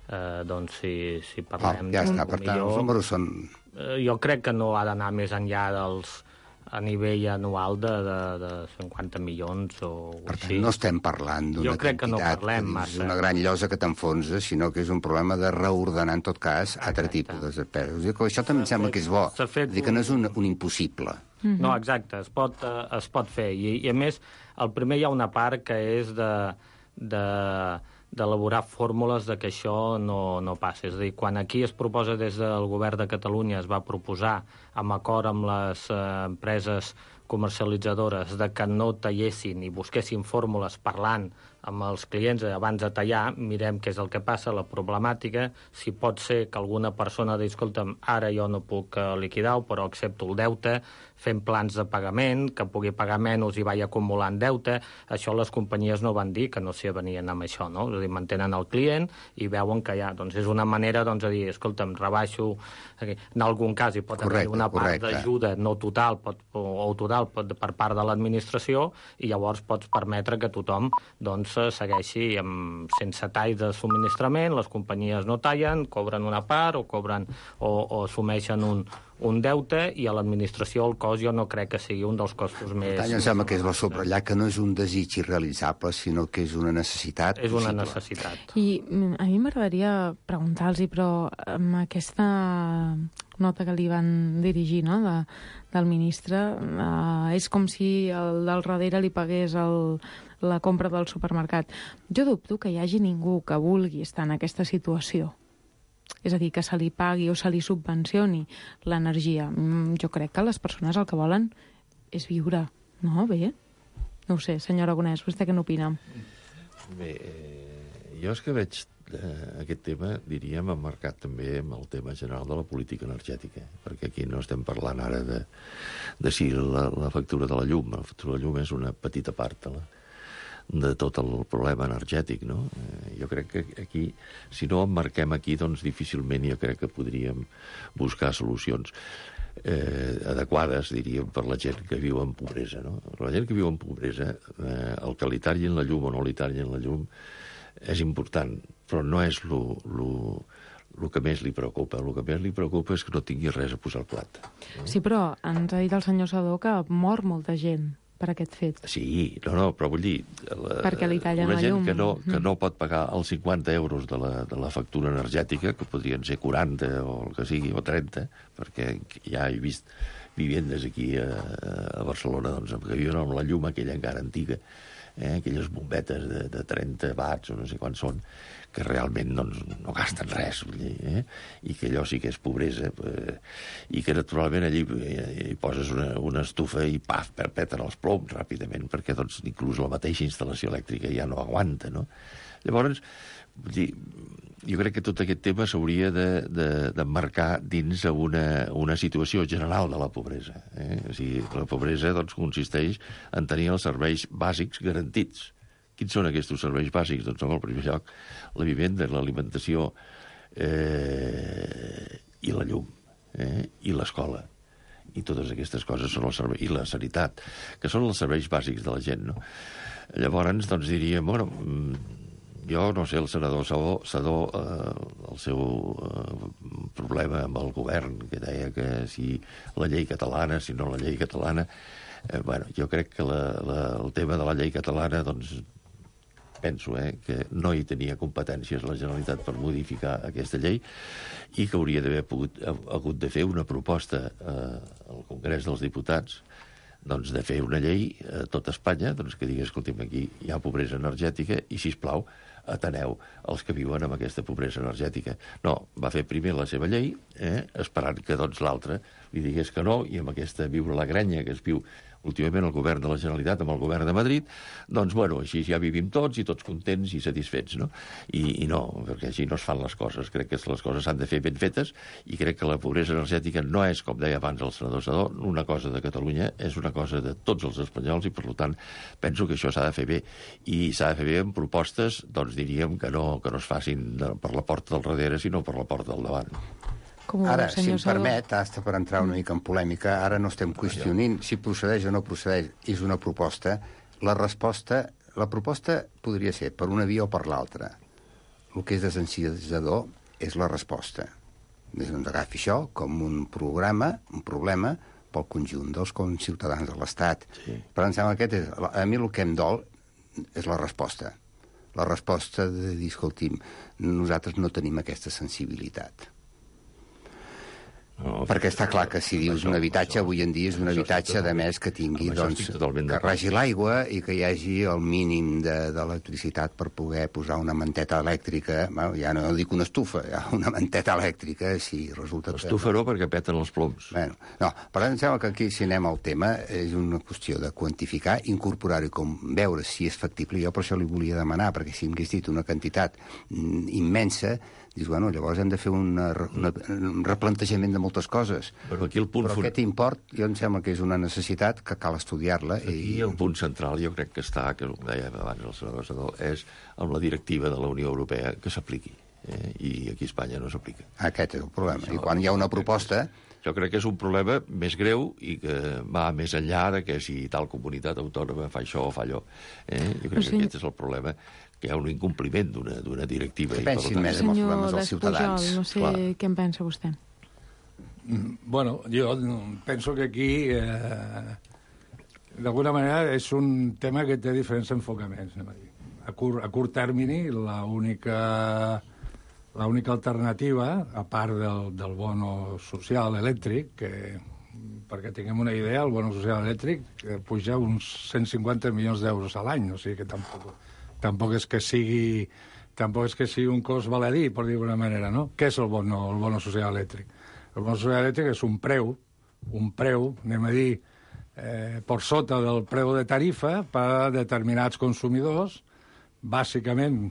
eh, doncs si, si parlem... Ah, ja està, per tant, millor, els números són... Eh, jo crec que no ha d'anar més enllà dels a nivell anual de, de, de cinquanta milions o per tant, així. No estem parlant d'una quantitat, no parlem massa. Una gran llosa que t'enfonsa, sinó que és un problema de reordenar, en tot cas, altre tipus de despeses. Això també em sembla que és bo, és dir, que no és un, un impossible. Mm-hmm. No, exacte, es pot, uh, es pot fer. I, I, a més, el primer hi ha una part que és de... de d'elaborar fórmules de que això no, no passi. És a dir, quan aquí es proposa des del govern de Catalunya, es va proposar, amb acord amb les eh, empreses comercialitzadores de que no tallessin i busquessin fórmules parlant amb els clients abans de tallar, mirem què és el que passa, la problemàtica, si pot ser que alguna persona digui, escolta'm, ara jo no puc liquidar-ho, però accepto el deute, fem plans de pagament, que pugui pagar menys i vagi acumulant deute. Això les companyies no van dir que no s'hi venien amb això, no? És a dir, mantenen el client i veuen que ja, doncs és una manera doncs, de dir, escolta'm, rebaixo, en algun cas hi pot haver una part d'ajuda no total pot, o total pot, per part de l'administració i llavors pots permetre que tothom doncs, segueixi amb, sense tall de subministrament, les companyies no tallen, cobren una part o cobren o, o assumeixen un, un deute i a l'administració el cost jo no crec que sigui un dels costos més... Per tant, em sembla que és la subratllar que no és un desig irrealitzable, sinó que és una necessitat És una possible. necessitat. I a mi m'agradaria preguntar-los, però amb aquesta nota que li van dirigir, no?, de, del ministre, eh, és com si el del darrere li pagués el, la compra del supermercat. Jo dubto que hi hagi ningú que vulgui estar en aquesta situació. És a dir, que se li pagui o se li subvencioni l'energia. Jo crec que les persones el que volen és viure, no? Bé? No ho sé, senyor Aragonès, vostè què n'opina? Bé, eh, jo és que veig eh, aquest tema, diríem, emmarcat també amb el tema general de la política energètica, perquè aquí no estem parlant ara de, de si la, la factura de la llum. La factura de la llum és una petita part de la, de tot el problema energètic, no? Eh, jo crec que aquí, si no emmarquem aquí, doncs difícilment jo crec que podríem buscar solucions eh, adequades, diríem, per la gent que viu en pobresa, no? La gent que viu en pobresa, eh, el que li tallin la llum o no li tallin la llum és important, però no és lo, lo, el que més li preocupa. El que més li preocupa és que no tingui res a posar al plat. No? Sí, però ens ha dit el senyor Sadó que mor molta gent per aquest fet. Sí, no, no, però vull dir... La, perquè li tallen una la gent llum. que no, que no pot pagar els cinquanta euros de la, de la factura energètica, que podrien ser quaranta o el que sigui, o trenta, perquè ja he vist vivendes aquí a, a Barcelona doncs, que viuen amb la llum aquella encara antiga, eh, aquelles bombetes de, de trenta watts o no sé quants són, que realment doncs, no gasten res, vull dir, eh? I que allò sí que és pobresa, eh? I que naturalment allí eh, hi poses una, una estufa i paf, perpeten els ploms ràpidament, perquè doncs, inclús la mateixa instal·lació elèctrica ja no aguanta, no? Llavors, vull dir, jo crec que tot aquest tema s'hauria d'emmarcar de, de, dins una, una situació general de la pobresa. Eh? O sigui, la pobresa doncs, consisteix en tenir els serveis bàsics garantits. Quins són aquests serveis bàsics? Doncs, en el primer lloc, la vivenda, l'alimentació eh, i la llum, eh, i l'escola. I totes aquestes coses són els serveis... I la sanitat, que són els serveis bàsics de la gent, no? Llavors, doncs, diríem, bueno, jo no sé, el senador Sadó, Sadó eh, el seu eh, problema amb el govern, que deia que si la llei catalana, si no la llei catalana... Eh, bueno, jo crec que la, la, el tema de la llei catalana, doncs, penso eh, que no hi tenia competències la Generalitat per modificar aquesta llei i que hauria d'haver hagut de fer una proposta eh, al Congrés dels Diputats doncs, de fer una llei a tot Espanya doncs, que digués, escolti'm, aquí hi ha pobresa energètica i, sisplau, ateneu els que viuen amb aquesta pobresa energètica. No, va fer primer la seva llei, eh, esperant que doncs, l'altre li digués que no, i amb aquesta viure la grenya que es viu últimament el govern de la Generalitat amb el govern de Madrid, doncs, bueno, així ja vivim tots i tots contents i satisfets, no? I, i no, perquè així no es fan les coses. Crec que les coses s'han de fer ben fetes i crec que la pobresa energètica no és, com deia abans el senador Sadó, una cosa de Catalunya, és una cosa de tots els espanyols i, per tant, penso que això s'ha de fer bé. I s'ha de fer bé amb propostes, doncs diríem, que no, que no es facin per la porta del darrere, sinó per la porta del davant. Com ara, si em Sadó. permet, hasta per entrar una mica en polèmica, ara no estem qüestionant si procedeix o no procedeix, és una proposta. La resposta, la proposta podria ser per una via o per l'altra. El que és desencialitzador és la resposta. Des d'on agafi això com un programa, un problema pel conjunt dels ciutadans de l'Estat. Sí. Per em sembla que aquest és, a mi el que em dol és la resposta. La resposta de dir, escolti'm, nosaltres no tenim aquesta sensibilitat. No, perquè està clar que si dius un habitatge, avui en dia és un habitatge, de més, que tingui, doncs, que regi l'aigua i que hi hagi el mínim d'electricitat per poder posar una manteta elèctrica, bueno, ja no dic una estufa, ja una manteta elèctrica, si resulta... L'estufa no, perquè peten els ploms. Bueno, no, per tant, em sembla que aquí, si anem al tema, és una qüestió de quantificar, incorporar-ho i com veure si és factible. Jo per això li volia demanar, perquè si m'hagués dit una quantitat mm, immensa, dius, bueno, llavors hem de fer una, una, un replantejament de moltes coses. Però aquí el punt... Però aquest import, jo em sembla que és una necessitat que cal estudiar-la. Aquí i... el punt central, jo crec que està, que ho deia abans el senador Sadó, és amb la directiva de la Unió Europea que s'apliqui. Eh? I aquí a Espanya no s'aplica. Aquest és el problema. Això, I quan hi ha una proposta... Jo crec que és un problema més greu i que va més enllà de que si tal comunitat autònoma fa això o fa allò. Eh? Jo crec sí. que aquest és el problema, que hi ha un incompliment d'una directiva. Que pensin i, més en els problemes dels ciutadans. No sé Clar. Què en pensa vostè. Bueno, jo penso que aquí, eh, d'alguna manera, és un tema que té diferents enfocaments. A curt, a curt termini, l'única... L'única alternativa, a part del, del bono social elèctric, que, perquè tinguem una idea, el bono social elèctric puja uns cent cinquanta milions d'euros a l'any, o sigui que tampoc, tampoc és que sigui tampoc és que sigui un cost baladí, per dir d'una manera, no? Què és el bono, el bono social elèctric? El bono social elèctric és un preu, un preu, anem a dir, eh, per sota del preu de tarifa per a determinats consumidors, bàsicament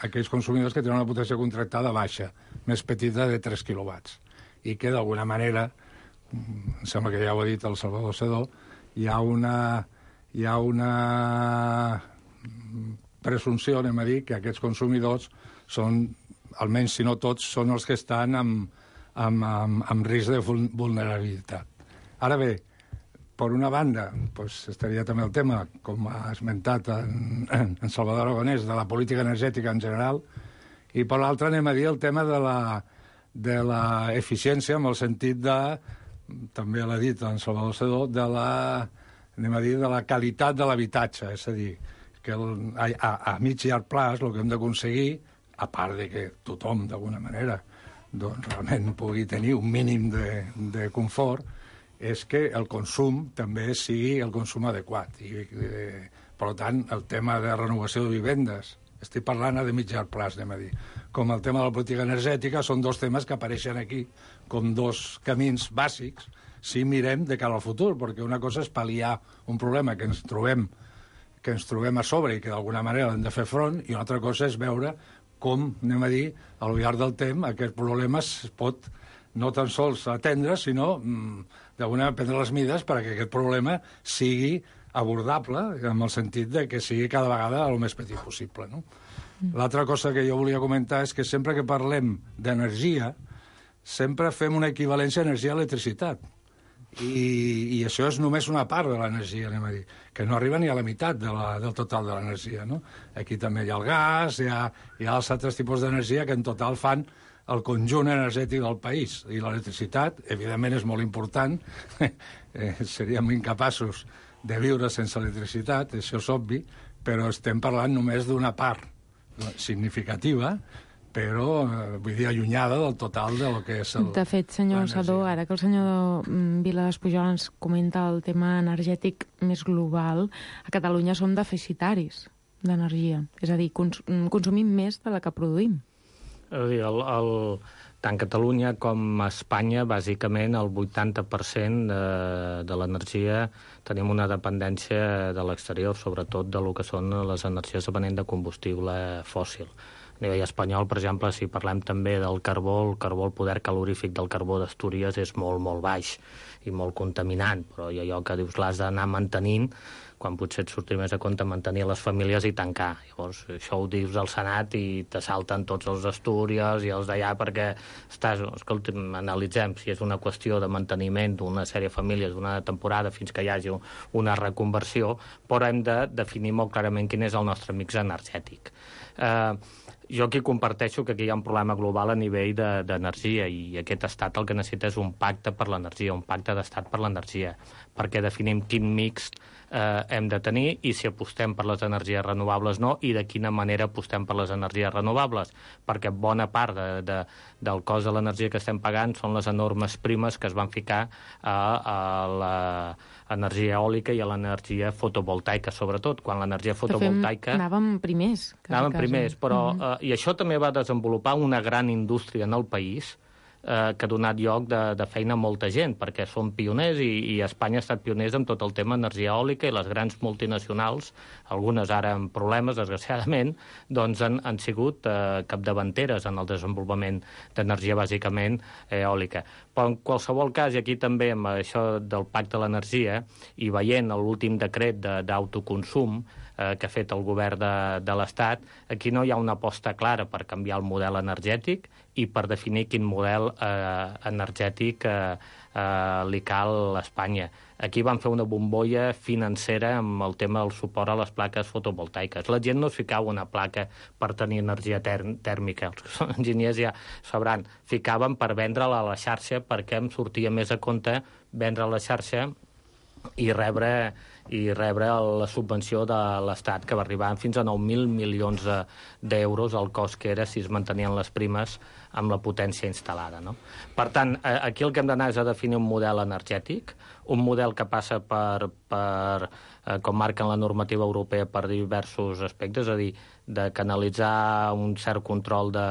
aquells consumidors que tenen una potència contractada baixa, més petita de tres quilowatts, i que d'alguna manera, em sembla que ja ho ha dit el Salvador Sedó, hi ha una, hi ha una presumpció, anem a dir, que aquests consumidors són, almenys si no tots, són els que estan amb, amb, amb, amb risc de vulnerabilitat. Ara bé, per una banda, pues, estaria també el tema, com ha esmentat en, en Salvador Aragonès, de la política energètica en general, i per l'altra anem a dir el tema de la, de la eficiència, en el sentit de, també l'ha dit en Salvador Sedó, de la, anem a dir, de la qualitat de l'habitatge, és a dir, que el, a, a mig i llarg plaç el que hem d'aconseguir, a part de que tothom, d'alguna manera, doncs, realment pugui tenir un mínim de, de confort, és que el consum també sigui el consum adequat. I, eh, per tant, el tema de renovació de vivendes, estic parlant de mig llarg plaç, anem a dir, com el tema de la política energètica, són dos temes que apareixen aquí com dos camins bàsics si mirem de cara al futur, perquè una cosa és pal·liar un problema que ens trobem, que ens trobem a sobre i que d'alguna manera hem de fer front, i una altra cosa és veure com, anem a dir, al llarg del temps aquest problema es pot no tan sols atendre, sinó mm, d'alguna manera prendre les mides perquè aquest problema sigui abordable, en el sentit de que sigui cada vegada el més petit possible. No? Mm. L'altra cosa que jo volia comentar és que sempre que parlem d'energia, sempre fem una equivalència a energia-electricitat. I, I això és només una part de l'energia, anem a dir, que no arriba ni a la meitat de la, del total de l'energia. No? Aquí també hi ha el gas, hi ha, hi ha els altres tipus d'energia que en total fan el conjunt energètic del país. I l'electricitat, evidentment, és molt important. eh, seríem incapaços de viure sense electricitat, això és obvi, però estem parlant només d'una part significativa, però, eh, vull dir, allunyada del total de lo que és el... De fet, senyor Sadó, ara que el senyor Vila Despujol ens comenta el tema energètic més global, a Catalunya som deficitaris d'energia. És a dir, cons consumim més de la que produïm. És a dir, el, el, tant Catalunya com Espanya, bàsicament, el vuitanta per cent de, de l'energia tenim una dependència de l'exterior, sobretot de lo que són les energies depenent de combustible fòssil. A nivell espanyol, per exemple, si parlem també del carbó, el carbó, el poder calorífic del carbó d'Astúries és molt, molt baix i molt contaminant, però hi ha allò que dius l'has d'anar mantenint, quan potser et surti més a compte mantenir les famílies i tancar. Llavors, això ho dius al Senat i te salten tots els Astúries i els d'allà perquè estàs... Escolta, analitzem si és una qüestió de manteniment d'una sèrie de famílies d'una temporada fins que hi hagi una reconversió, però hem de definir molt clarament quin és el nostre mix energètic. Eh, jo aquí comparteixo que aquí hi ha un problema global a nivell d'energia de, i aquest estat el que necessita és un pacte per l'energia, un pacte d'estat per l'energia, perquè definim quin mix eh, hem de tenir i si apostem per les energies renovables no, i de quina manera apostem per les energies renovables, perquè bona part de, de, del cost de l'energia que estem pagant són les enormes primes que es van ficar a, a l'energia eòlica i a l'energia fotovoltaica, sobretot, quan l'energia fotovoltaica... Anàvem primers. Anàvem primers, però... Uh-huh. eh, I això també va desenvolupar una gran indústria en el país eh, que ha donat lloc de, de feina a molta gent, perquè són pioners i, i Espanya ha estat pioners en tot el tema energia eòlica i les grans multinacionals, algunes ara amb problemes, desgraciadament, doncs han, han sigut eh, capdavanteres en el desenvolupament d'energia bàsicament eh, eòlica. Però en qualsevol cas, i aquí també amb això del pacte de l'energia, i veient l'últim decret d'autoconsum eh, que ha fet el govern de, de l'Estat, aquí no hi ha una aposta clara per canviar el model energètic i per definir quin model eh, energètic eh, eh, li cal a Espanya. Aquí van fer una bombolla financera amb el tema del suport a les plaques fotovoltaiques. La gent no es ficava una placa per tenir energia tèrmica. Els que són enginyers ja sabran. Ficaven per vendre-la a la xarxa perquè em sortia més a compte vendre a la xarxa i rebre, i rebre la subvenció de l'Estat, que va arribar fins a nou mil milions d'euros el cost que era si es mantenien les primes amb la potència instal·lada. No? Per tant, aquí el que hem d'anar és a definir un model energètic, un model que passa per, per eh, com marca la normativa europea, per diversos aspectes, és a dir, de canalitzar un cert control de,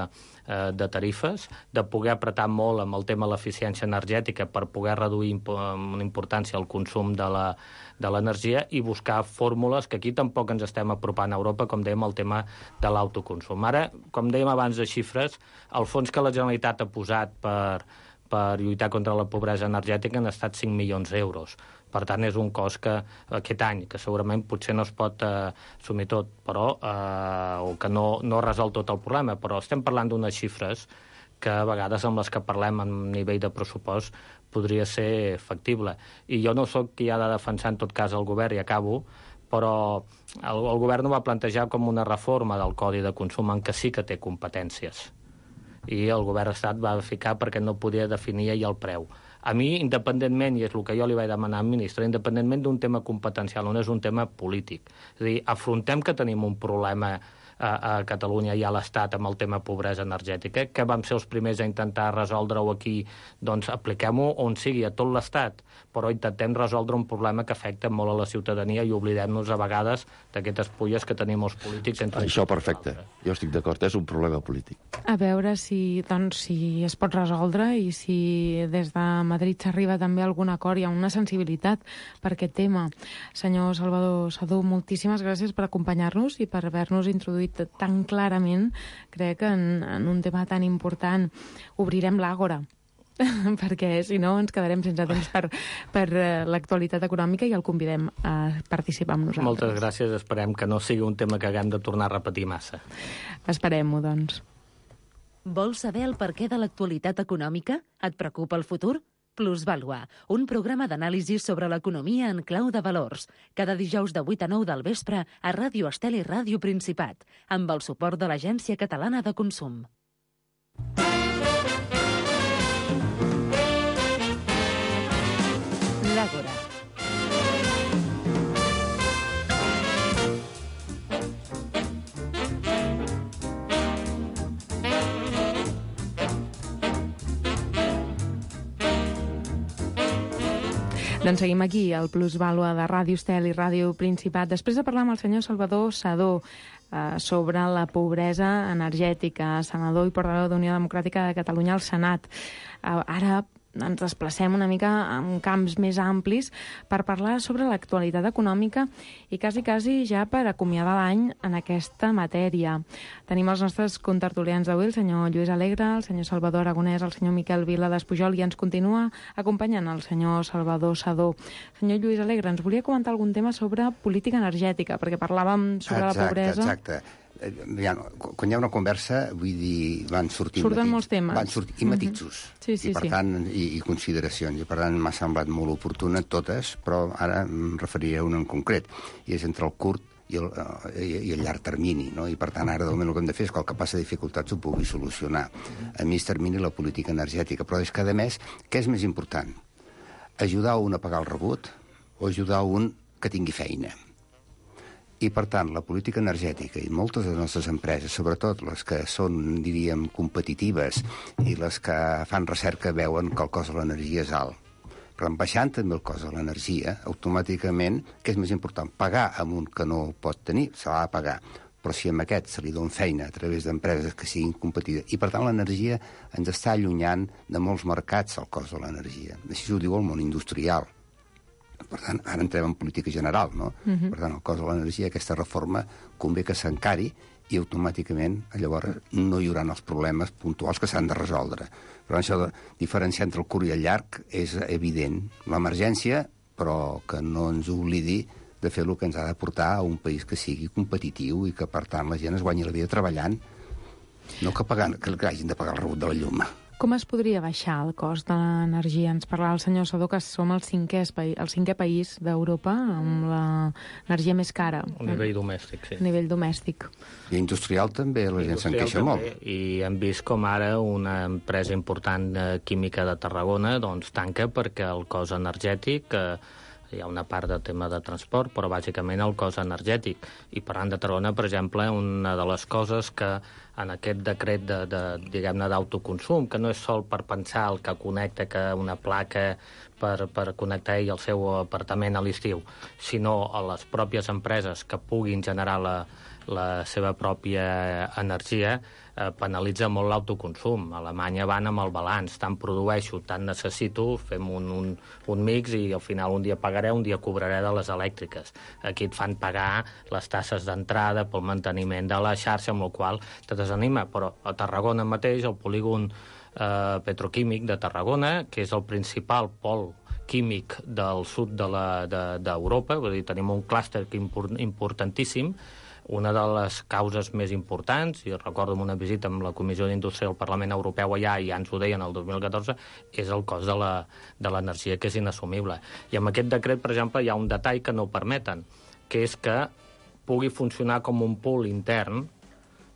eh, de tarifes, de poder apretar molt amb el tema de l'eficiència energètica per poder reduir imp amb importància el consum de la, de l'energia i buscar fórmules que aquí tampoc ens estem apropant a Europa, com dèiem, el tema de l'autoconsum. Ara, com dèiem abans de xifres, el fons que la Generalitat ha posat per, per lluitar contra la pobresa energètica han estat cinc milions d'euros. Per tant, és un cost que aquest any, que segurament potser no es pot eh, assumir tot, però, eh, o que no, no resol tot el problema, però estem parlant d'unes xifres que a vegades amb les que parlem en nivell de pressupost podria ser factible. I jo no sóc qui ha de defensar en tot cas el govern, i acabo, però el, el govern ho va plantejar com una reforma del Codi de Consum en què sí que té competències. I el govern d'Estat va ficar perquè no podia definir ell el preu. A mi, independentment, i és el que jo li vaig demanar al ministre, independentment d'un tema competencial, on és un tema polític. És a dir, afrontem que tenim un problema a, a Catalunya i a l'Estat amb el tema pobresa energètica, que vam ser els primers a intentar resoldre-ho aquí, doncs apliquem-ho on sigui, a tot l'Estat, però intentem resoldre un problema que afecta molt a la ciutadania i oblidem-nos a vegades d'aquestes pulles que tenim els polítics. Entre Això perfecte, jo estic d'acord, és un problema polític. A veure si, doncs, si es pot resoldre i si des de Madrid s'arriba també a algun acord, hi ha una sensibilitat per aquest tema. Senyor Salvador Sedó, moltíssimes gràcies per acompanyar-nos i per haver-nos introduït tan clarament, crec, en, en un tema tan important. Obrirem l'àgora, perquè si no ens quedarem sense temps per, per l'actualitat econòmica i el convidem a participar amb nosaltres. Moltes gràcies, esperem que no sigui un tema que haguem de tornar a repetir massa. Esperem-ho, doncs. Vols saber el perquè de l'actualitat econòmica? Et preocupa el futur? Plusvàlua, un programa d'anàlisi sobre l'economia en clau de valors. Cada dijous de vuit a nou del vespre a Ràdio Estel i Ràdio Principat, amb el suport de l'Agència Catalana de Consum. L'Àgora. Doncs seguim aquí, al Plusvàlua de Ràdio Estel i Ràdio Principat. Després de parlar amb el senyor Salvador Sedó eh, sobre la pobresa energètica, senador i portaveu d'Unió Democràtica de Catalunya al Senat. Eh, ara ens desplacem una mica en camps més amplis per parlar sobre l'actualitat econòmica i quasi, quasi ja per acomiadar l'any en aquesta matèria. Tenim els nostres contertulians d'avui, el senyor Lluís Alegre, el senyor Salvador Aragonès, el senyor Miquel Vila d'Espujol, i ens continua acompanyant el senyor Salvador Sedó. Senyor Lluís Alegre, ens volia comentar algun tema sobre política energètica, perquè parlàvem sobre exacte, la pobresa. Exacte, ja, quan hi ha una conversa, vull dir, van sortint Surten matits, molts temes. Van sortir, i matisos, mm-hmm. sí, sí, i per sí. tant, i, i consideracions, i per tant m'ha semblat molt oportuna totes, però ara em referiré a una en concret, i és entre el curt i el, uh, i, i el llarg termini, no? I per tant ara de moment el que hem de fer és que el que passa dificultats ho pugui solucionar. A mig termini la política energètica, però és que a més, què és més important? Ajudar un a pagar el rebut o ajudar un que tingui feina. I, per tant, la política energètica i moltes de les nostres empreses, sobretot les que són, diríem, competitives i les que fan recerca, veuen que el cost de l'energia és alt. Però en baixant també el cost de l'energia, automàticament, què és més important? Pagar amb un que no pot tenir, se l'ha de pagar. Però si amb aquest se li dona feina a través d'empreses que siguin competitives. I, per tant, l'energia ens està allunyant de molts mercats el cost de l'energia. Així ho diu el món industrial. Per tant, ara entrem en política general, no? Uh-huh. Per tant, el cost de l'energia, aquesta reforma, convé que s'encari i automàticament, llavors, no hi haurà els problemes puntuals que s'han de resoldre. Però això de diferenciar entre el curt i el llarg és evident. L'emergència, però que no ens oblidi de fer el que ens ha de portar a un país que sigui competitiu i que, per tant, la gent es guanyi la vida treballant, no que, pagant, que hagin de pagar el rebut de la llum. Com es podria baixar el cost de l'energia? Ens parlava el senyor Sadó que som el cinquè, el cinquè país d'Europa amb l'energia més cara. A nivell domèstic, sí. A nivell domèstic. I industrial també, la gent se'n queixa molt. I hem vist com ara una empresa important química de Tarragona doncs tanca perquè el cost energètic... Eh, hi ha una part de tema de transport, però bàsicament el cost energètic. I parlant de Tarragona, per exemple, una de les coses que en aquest decret de, de diguem-ne, d'autoconsum, que no és sol per pensar el que connecta que una placa per, per connectar ell el seu apartament a l'estiu, sinó a les pròpies empreses que puguin generar la, la seva pròpia energia, eh, penalitza molt l'autoconsum. A Alemanya van amb el balanç, tant produeixo, tant necessito, fem un, un, un mix i al final un dia pagaré, un dia cobraré de les elèctriques. Aquí et fan pagar les tasses d'entrada pel manteniment de la xarxa, amb la qual te desanima. Però a Tarragona mateix, el polígon eh, petroquímic de Tarragona, que és el principal pol químic del sud d'Europa, de, de, vull dir, tenim un clúster importantíssim. Una de les causes més importants, i recordo una visita amb la Comissió d'Indústria del Parlament Europeu allà, i ja ens ho deien el dos mil catorze, és el cost de l'energia, que és inassumible. I amb aquest decret, per exemple, hi ha un detall que no ho permeten, que és que pugui funcionar com un pool intern,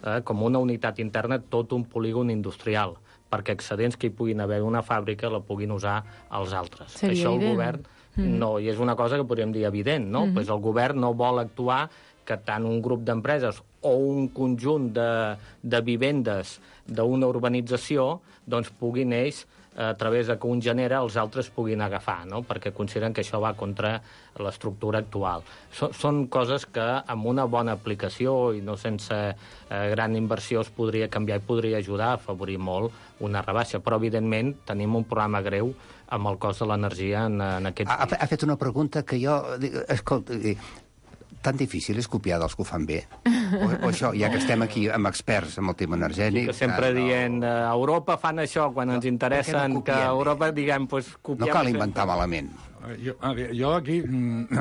eh, com una unitat interna, tot un polígon industrial, perquè excedents que hi puguin haver d'una fàbrica la puguin usar els altres. Seria Això el evident. govern mm. no, i és una cosa que podríem dir evident, no? Mm-hmm. Pues el govern no vol actuar que tant un grup d'empreses o un conjunt de, de vivendes d'una urbanització doncs puguin ells, a través de que un genera, els altres puguin agafar, no? Perquè consideren que això va contra l'estructura actual. So, són coses que amb una bona aplicació i no sense eh, gran inversió es podria canviar i podria ajudar a afavorir molt una rebaixa, però evidentment tenim un problema greu amb el cost de l'energia en, en aquest... Ha, ha fet una pregunta que jo... Escolta, tan difícil és copiar dels que ho fan bé. O, o això, ja que estem aquí amb experts en el tema energètic... I que sempre ah, no... dient, a Europa fan això, quan no, ens interessa no que a Europa, diguem, pues, copiem... No cal inventar sempre. Malament. Jo, jo aquí,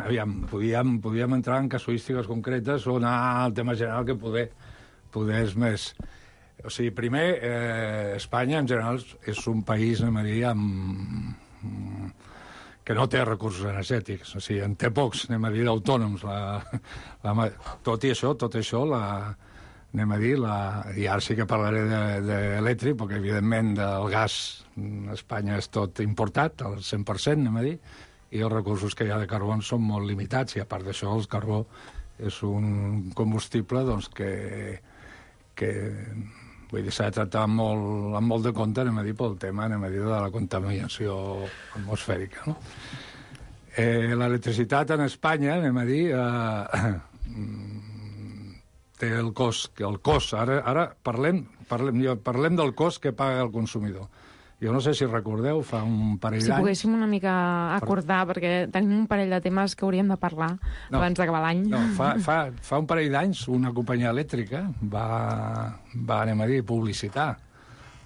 aviam, podíem, podíem entrar en casuístiques concretes o anar al tema general que poder, poder és més... O sigui, primer, eh, Espanya, en general, és un país, anem a dir, amb... que no té recursos energètics, o sigui, en té pocs, anem a dir, autònoms. La, la, tot i això, tot això, la, anem a dir, la, i ara sí que parlaré d'elèctric, perquè evidentment del gas a Espanya és tot importat, al cent per cent, anem a dir, i els recursos que hi ha de carbó són molt limitats, i a part d'això el carbó és un combustible doncs, que, que vull dir, s'ha de tractar amb molt, amb molt de compte, anem a dir, pel tema, anem a dir, de la contaminació atmosfèrica, no? Eh, l'electricitat en Espanya, anem a dir, eh, té el cost, que el cost, ara, ara parlem, parlem, parlem del cost que paga el consumidor. Jo no sé si recordeu, fa un parell d'anys... Si poguéssim una mica acordar, per... perquè tenim un parell de temes que hauríem de parlar no, abans d'acabar l'any. No, fa, fa, fa un parell d'anys una companyia elèctrica va, va, anem a dir, publicitar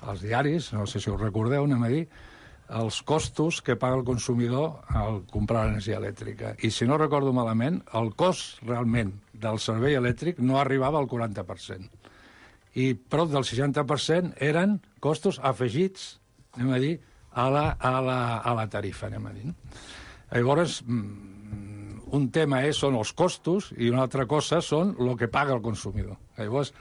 als diaris, no sé si us recordeu, anem a dir, els costos que paga el consumidor al comprar energia elèctrica. I si no recordo malament, el cost realment del servei elèctric no arribava al quaranta per cent. I prop del seixanta per cent eren costos afegits, anem a dir, a la, a la, a la tarifa, anem a dir. No? Llavors, un tema és, són els costos i una altra cosa són el que paga el consumidor. Llavors,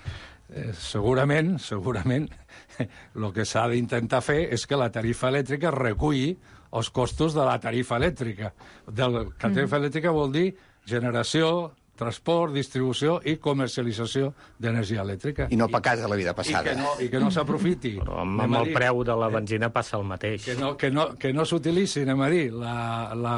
eh, segurament, segurament, el que s'ha d'intentar fer és que la tarifa elèctrica reculli els costos de la tarifa elèctrica. Del, que tarifa elèctrica vol dir generació, transport, distribució i comercialització d'energia elèctrica. I no per casa la vida passada. I que no, i que no s'aprofiti. Però amb, amb el preu de la benzina passa el mateix. Que no, que no, que no s'utilitzi, anem a dir, la, la,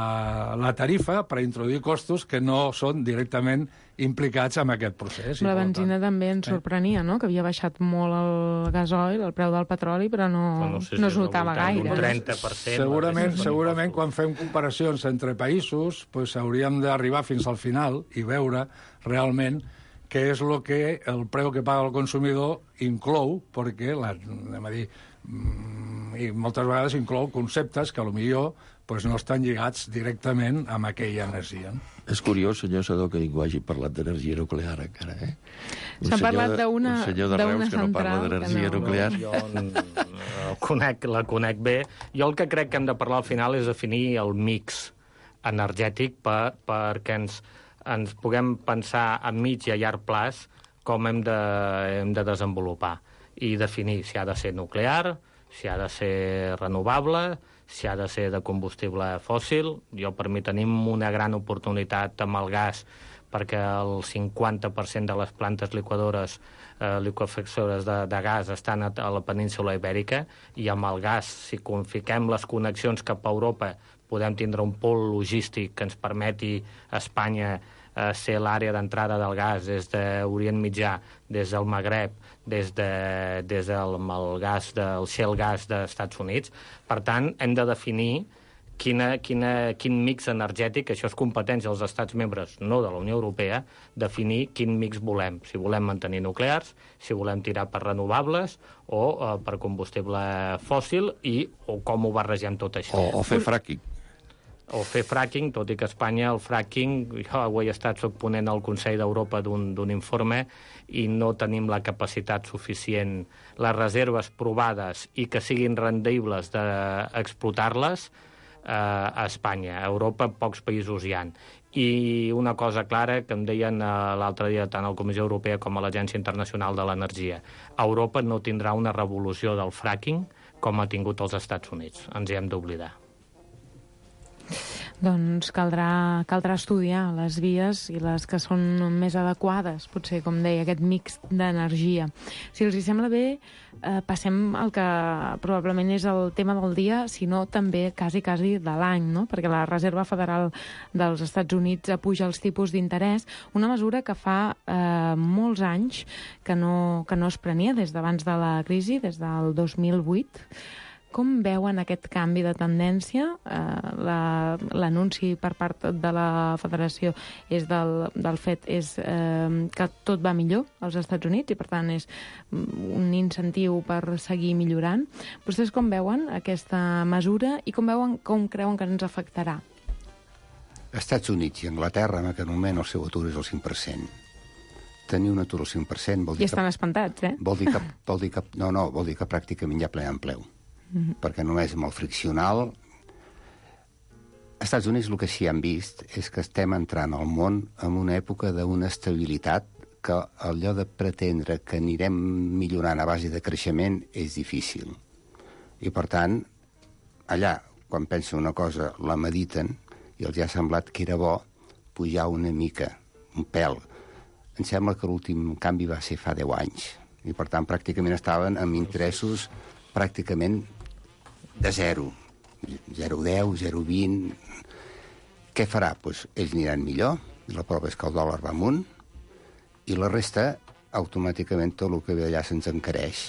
la tarifa per introduir costos que no són directament implicats en aquest procés. La benzina també ens sorprenia, no?, que havia baixat molt el gasoil, el preu del petroli, però no, no, sé si no es notava gaire. Un trenta per cent. Segurament, segurament quan fem comparacions entre països, pues, hauríem d'arribar fins al final i veure realment què és el que el preu que paga el consumidor inclou, perquè, la, anem a dir, i moltes vegades inclou conceptes que potser pues, no estan lligats directament amb aquella energia. És curiós, senyor Sadó, que ningú hagi parlat d'energia nuclear encara, eh? S'ha parlat d'una Un senyor de Reus que no parla d'energia no. nuclear. Jo la conec, la conec bé. Jo el que crec que hem de parlar al final és definir el mix energètic per, perquè ens, ens puguem pensar a mig i a llarg plaç com hem de, hem de desenvolupar i definir si ha de ser nuclear, si ha de ser renovable, si ha de ser de combustible fòssil. Jo, per mi, tenim una gran oportunitat amb el gas perquè el cinquanta per cent de les plantes liquadores, eh, liquefactores de, de gas estan a, a la península Ibèrica i amb el gas, si fiquem les connexions cap a Europa, podem tindre un pol logístic que ens permeti a Espanya eh, ser l'àrea d'entrada del gas des d'Orient Mitjà, des del Magreb, des, de, des del el gas del shale gas dels Estats Units. Per tant, hem de definir quina, quina, quin mix energètic, això és competència dels estats membres, no de la Unió Europea, definir quin mix volem. Si volem mantenir nuclears, si volem tirar per renovables o eh, per combustible fòssil i o com ho barregem tot això. O, o fer fracking. O fer fracking, tot i que a Espanya el fracking, jo avui he estat soc ponent al Consell d'Europa d'un informe i no tenim la capacitat suficient, les reserves provades i que siguin rendibles d'explotar-les eh, a Espanya. A Europa pocs països hi ha. I una cosa clara que em deien eh, l'altre dia tant a la Comissió Europea com a l'Agència Internacional de l'Energia. Europa no tindrà una revolució del fracking com ha tingut els Estats Units. Ens hi hem d'oblidar. Doncs caldrà, caldrà estudiar les vies i les que són més adequades, potser, com deia, aquest mix d'energia. Si els hi sembla bé, eh, passem al que probablement és el tema del dia, sinó també quasi, quasi de l'any, no? Perquè la Reserva Federal dels Estats Units apuja els tipus d'interès, una mesura que fa eh, molts anys que no, que no es prenia des d'abans de la crisi, des del dos mil vuit. Com veuen aquest canvi de tendència? Eh, L'anunci per part de la Federació és del, del fet és eh, que tot va millor als Estats Units i, per tant, és un incentiu per seguir millorant. Vostès com veuen aquesta mesura i com veuen com creuen que ens afectarà? Estats Units i Anglaterra, en aquest moment, el seu atur és el cinc per cent. Tenir un atur al cinc per cent vol dir... I estan que, espantats, eh? Vol dir que, vol dir que, no, no, vol dir que pràcticament hi ha ple empleu. Mm-hmm. Perquè només amb el friccional... Als Estats Units el que sí han vist és que estem entrant al món en una època d'una estabilitat que allò de pretendre que anirem millorant a base de creixement és difícil. I, per tant, allà, quan pensen una cosa, la mediten i els ha semblat que era bo pujar una mica, un pèl. Em sembla que l'últim canvi va ser fa deu anys. I, per tant, pràcticament estaven amb interessos pràcticament de zero. zero coma deu, zero coma vint... Què farà? Pues ells aniran millor, i la prova és que el dòlar va amunt, i la resta, automàticament, tot el que ve allà se'ns encareix.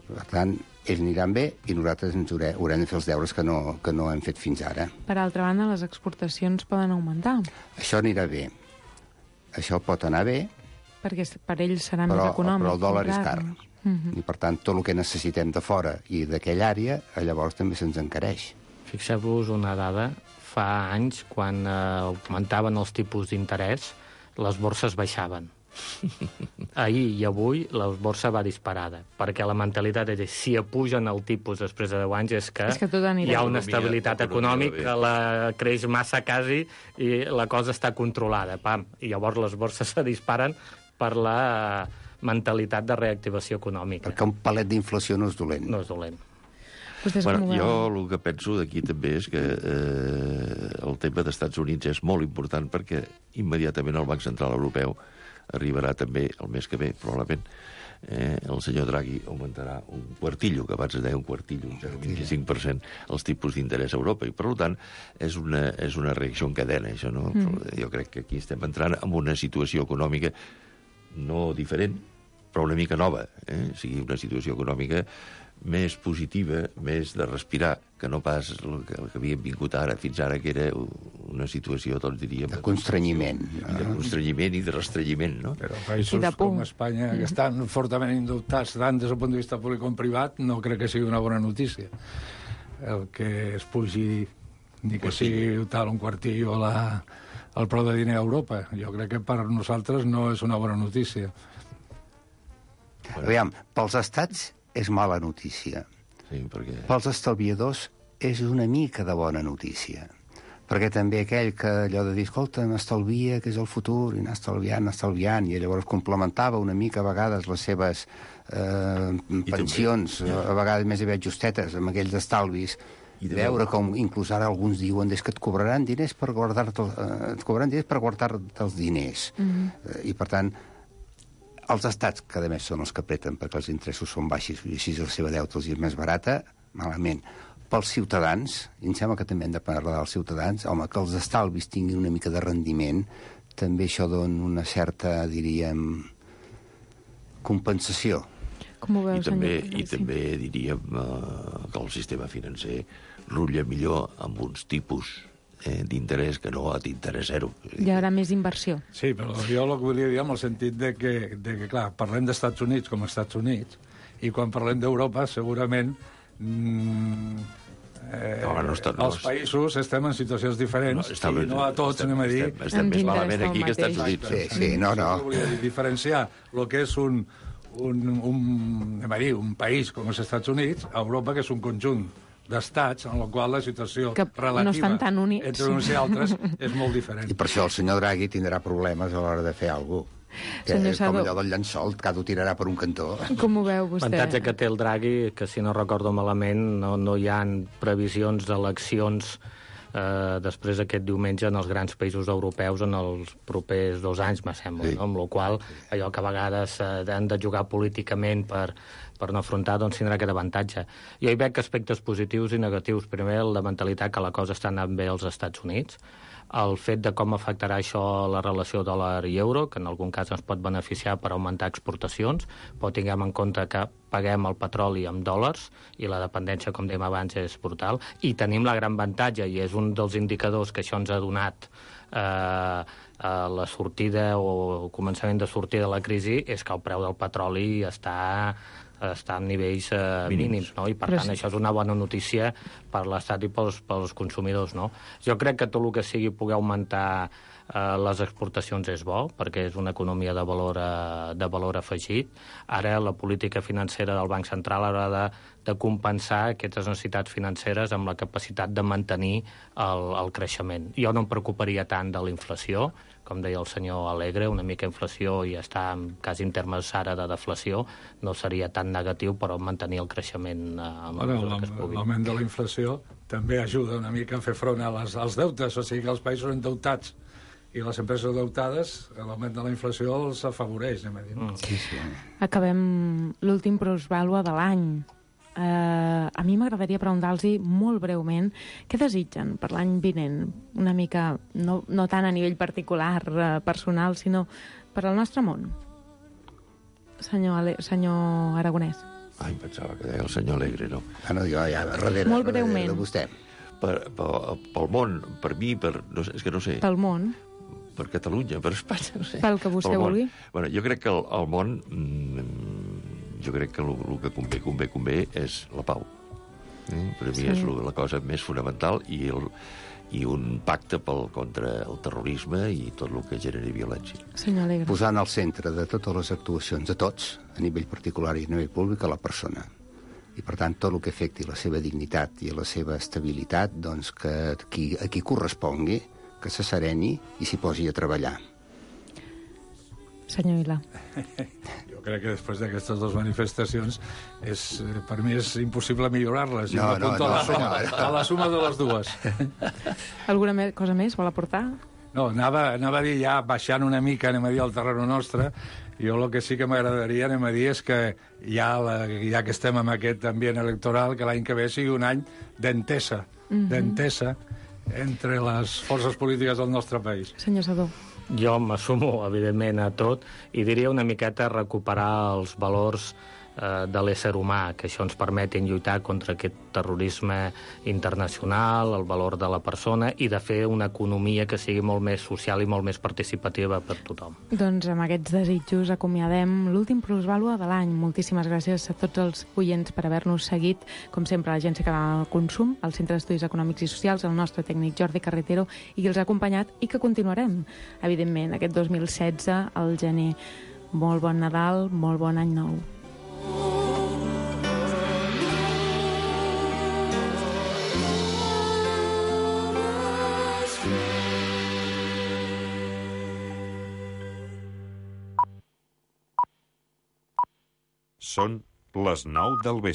Per tant, ells aniran bé i nosaltres ens haurem, haurem de fer els deures que no, que no hem fet fins ara. Per altra banda, les exportacions poden augmentar. Això anirà bé. Això pot anar bé, perquè per ells serà però, més econòmic. Però el dòlar és car. Uh-huh. I, per tant, tot el que necessitem de fora i d'aquella àrea, llavors també se'ns encareix. Fixeu-vos una dada. Fa anys, quan eh, augmentaven els tipus d'interès, les borses baixaven. Ahir i avui la borsa va disparada, perquè la mentalitat és si apugen el tipus després de deu anys és que, és que hi ha una estabilitat econòmica, la creix massa quasi i la cosa està controlada. Pam. I llavors les borses se disparen per la, mentalitat de reactivació econòmica. Perquè un palet d'inflació no és dolent. No és dolent. Bueno, jo el que penso d'aquí també és que eh, el tema dels Estats Units és molt important perquè immediatament el Banc Central Europeu arribarà també el mes que ve, probablement, eh, el senyor Draghi augmentarà un quartillo, que abans es deia un quartillo, un zero coma vint-i-cinc per cent els tipus d'interès a Europa, i per tant és una, és una reacció en cadena, això, no? Mm. Jo crec que aquí estem entrant en una situació econòmica no diferent, però una mica nova, eh? O sigui, una situació econòmica més positiva, més de respirar, que no pas el que, el que havíem vingut ara, fins ara, que era una situació, doncs diríem... De constrenyiment. I de constrenyiment i de restrenyiment, no? Però països com Espanya, que estan fortament indubtats tant des del punt de vista públic com privat, no crec que sigui una bona notícia. El que es pugi, ni que sigui tal un quartillo a la, al preu de diner a Europa. Jo crec que per nosaltres no és una bona notícia. Aviam, pels estats és mala notícia. Sí, perquè... Pels estalviadors és una mica de bona notícia. Perquè també aquell que allò de dir, escolta, m'estalvia, que és el futur, i anar estalviant, anar estalviant, i llavors complementava una mica a vegades les seves eh, pensions, a vegades més aviat justetes, amb aquells estalvis, i de veure com inclús ara alguns diuen és que et cobraran diners per guardar-te eh, et cobraran diners per guardar-te els diners. Mm-hmm. eh, I per tant, els estats, que a més són els que apreten perquè els interessos són baixos i així la seva deuta els és més barata, malament. Pels ciutadans, i em sembla que també hem de parlar dels ciutadans, home, que els estalvis tinguin una mica de rendiment, també això dona una certa, diríem, compensació. Com ho veus, I també, senyor? i també diríem eh, que el sistema financer rutlla millor amb uns tipus eh, d'interès que no d'interès zero. Hi haurà més inversió. Sí, però jo el que volia dir en el sentit de que, de que clar, parlem d'Estats Units com a Estats Units, i quan parlem d'Europa, segurament mm, eh, no, no està, no, els països estem en situacions diferents, no, està, i no a tots, estem, anem a dir... Estem, estem més malament aquí que als Estats Units. Sí, sí, no, no. Volia dir, diferenciar el que és un, un, un, anem a dir, un país com els Estats Units, a Europa, que és un conjunt d'estats en el qual la situació que relativa no estan tan units. entre uns i altres és molt diferent. I per això el senyor Draghi tindrà problemes a l'hora de fer alguna cosa. Que senyor és Sadó, com allò del llençol, que ho tirarà per un cantó. com ho veu vostè? L'avantatge que té el Draghi, que si no recordo malament, no, no hi ha previsions d'eleccions eh, després d'aquest diumenge en els grans països europeus en els propers dos anys, me sembla, sí. No? Amb la qual allò que a vegades eh, han de jugar políticament per, per no afrontar, doncs tindrà aquest avantatge. Jo hi veig aspectes positius i negatius. Primer, la mentalitat que la cosa està anant bé als Estats Units, el fet de com afectarà això la relació dòlar i euro, que en algun cas ens pot beneficiar per augmentar exportacions, però tinguem en compte que paguem el petroli amb dòlars i la dependència, com dèiem abans, és brutal. I tenim la gran avantatge, i és un dels indicadors que això ens ha donat eh, a la sortida o el començament de sortir de la crisi, és que el preu del petroli està... està en nivells eh, mínims, mínims, no? I per Però tant sí. Això és una bona notícia per l'Estat i pels, pels consumidors, no? Jo crec que tot el que sigui poder augmentar eh, les exportacions és bo, perquè és una economia de valor, eh, de valor afegit. Ara la política financera del Banc Central haurà de, de compensar aquestes necessitats financeres amb la capacitat de mantenir el, el creixement. Jo no em preocuparia tant de la inflació, com deia el senyor Alegre, una mica inflació i està quasi en termes ara de deflació, no seria tan negatiu, però mantenir el creixement eh, amb bueno, la que es pugui. L'augment de la inflació també ajuda una mica a fer front a les, als deutes, o sigui que els països endeutats i les empreses endeutades, l'augment de la inflació els afavoreix, anem a dir. Mm. Sí, sí. Acabem l'últim plusvàlua de l'any. Uh, a mi m'agradaria preguntar-los molt breument què desitgen per l'any vinent, una mica, no, no tant a nivell particular, uh, personal, sinó per al nostre món. Senyor, Ale senyor Aragonès. Ai, pensava que deia el senyor Alegre, no? Ah, no, jo ja, darrere, molt breument. darrere de vostè. Per, per, pel món, per mi, per, no sé, és que no sé. Pel món. Per Catalunya, per Espanya, no sé. Pel que vostè vulgui. Bueno, jo crec que el, el món... Mm, jo crec que el, el que convé, convé, convé és la pau. Eh? Per a mi sí. És la cosa més fonamental i, el, i un pacte pel, contra el terrorisme i tot el que generi violència. Senyor Alegre. Posant al centre de totes les actuacions, de tots, a nivell particular i a nivell públic, a la persona. I, per tant, tot el que afecti la seva dignitat i la seva estabilitat, doncs que qui, a qui correspongui, que se sereni i s'hi posi a treballar. senyor Ila? Jo crec que després d'aquestes dues manifestacions és, per mi és impossible millorar-les. No, no, no, a, la suma, no, no. a la suma de les dues. Alguna me cosa més vol aportar? No, anava, anava a dir ja, baixant una mica, anem a dir, al terreno nostre, jo el que sí que m'agradaria, anem a dir, és que ja, la, ja que estem en aquest ambient electoral, que l'any que ve sigui un any d'entesa, mm -hmm. d'entesa entre les forces polítiques del nostre país. Senyor Sadó. Jo m'assumo, evidentment, a tot i diria una miqueta recuperar els valors eh, de l'ésser humà, que això ens permetin lluitar contra aquest terrorisme internacional, el valor de la persona i de fer una economia que sigui molt més social i molt més participativa per tothom. Doncs amb aquests desitjos acomiadem l'últim Plusvàlua de l'any. Moltíssimes gràcies a tots els oients per haver-nos seguit. Com sempre, l'Agència Catalana del Consum, el Centre d'Estudis Econòmics i Socials, el nostre tècnic Jordi Carretero, i qui els ha acompanyat i que continuarem, evidentment, aquest dos mil setze, al gener. Molt bon Nadal, molt bon any nou. Són les nou del vespre.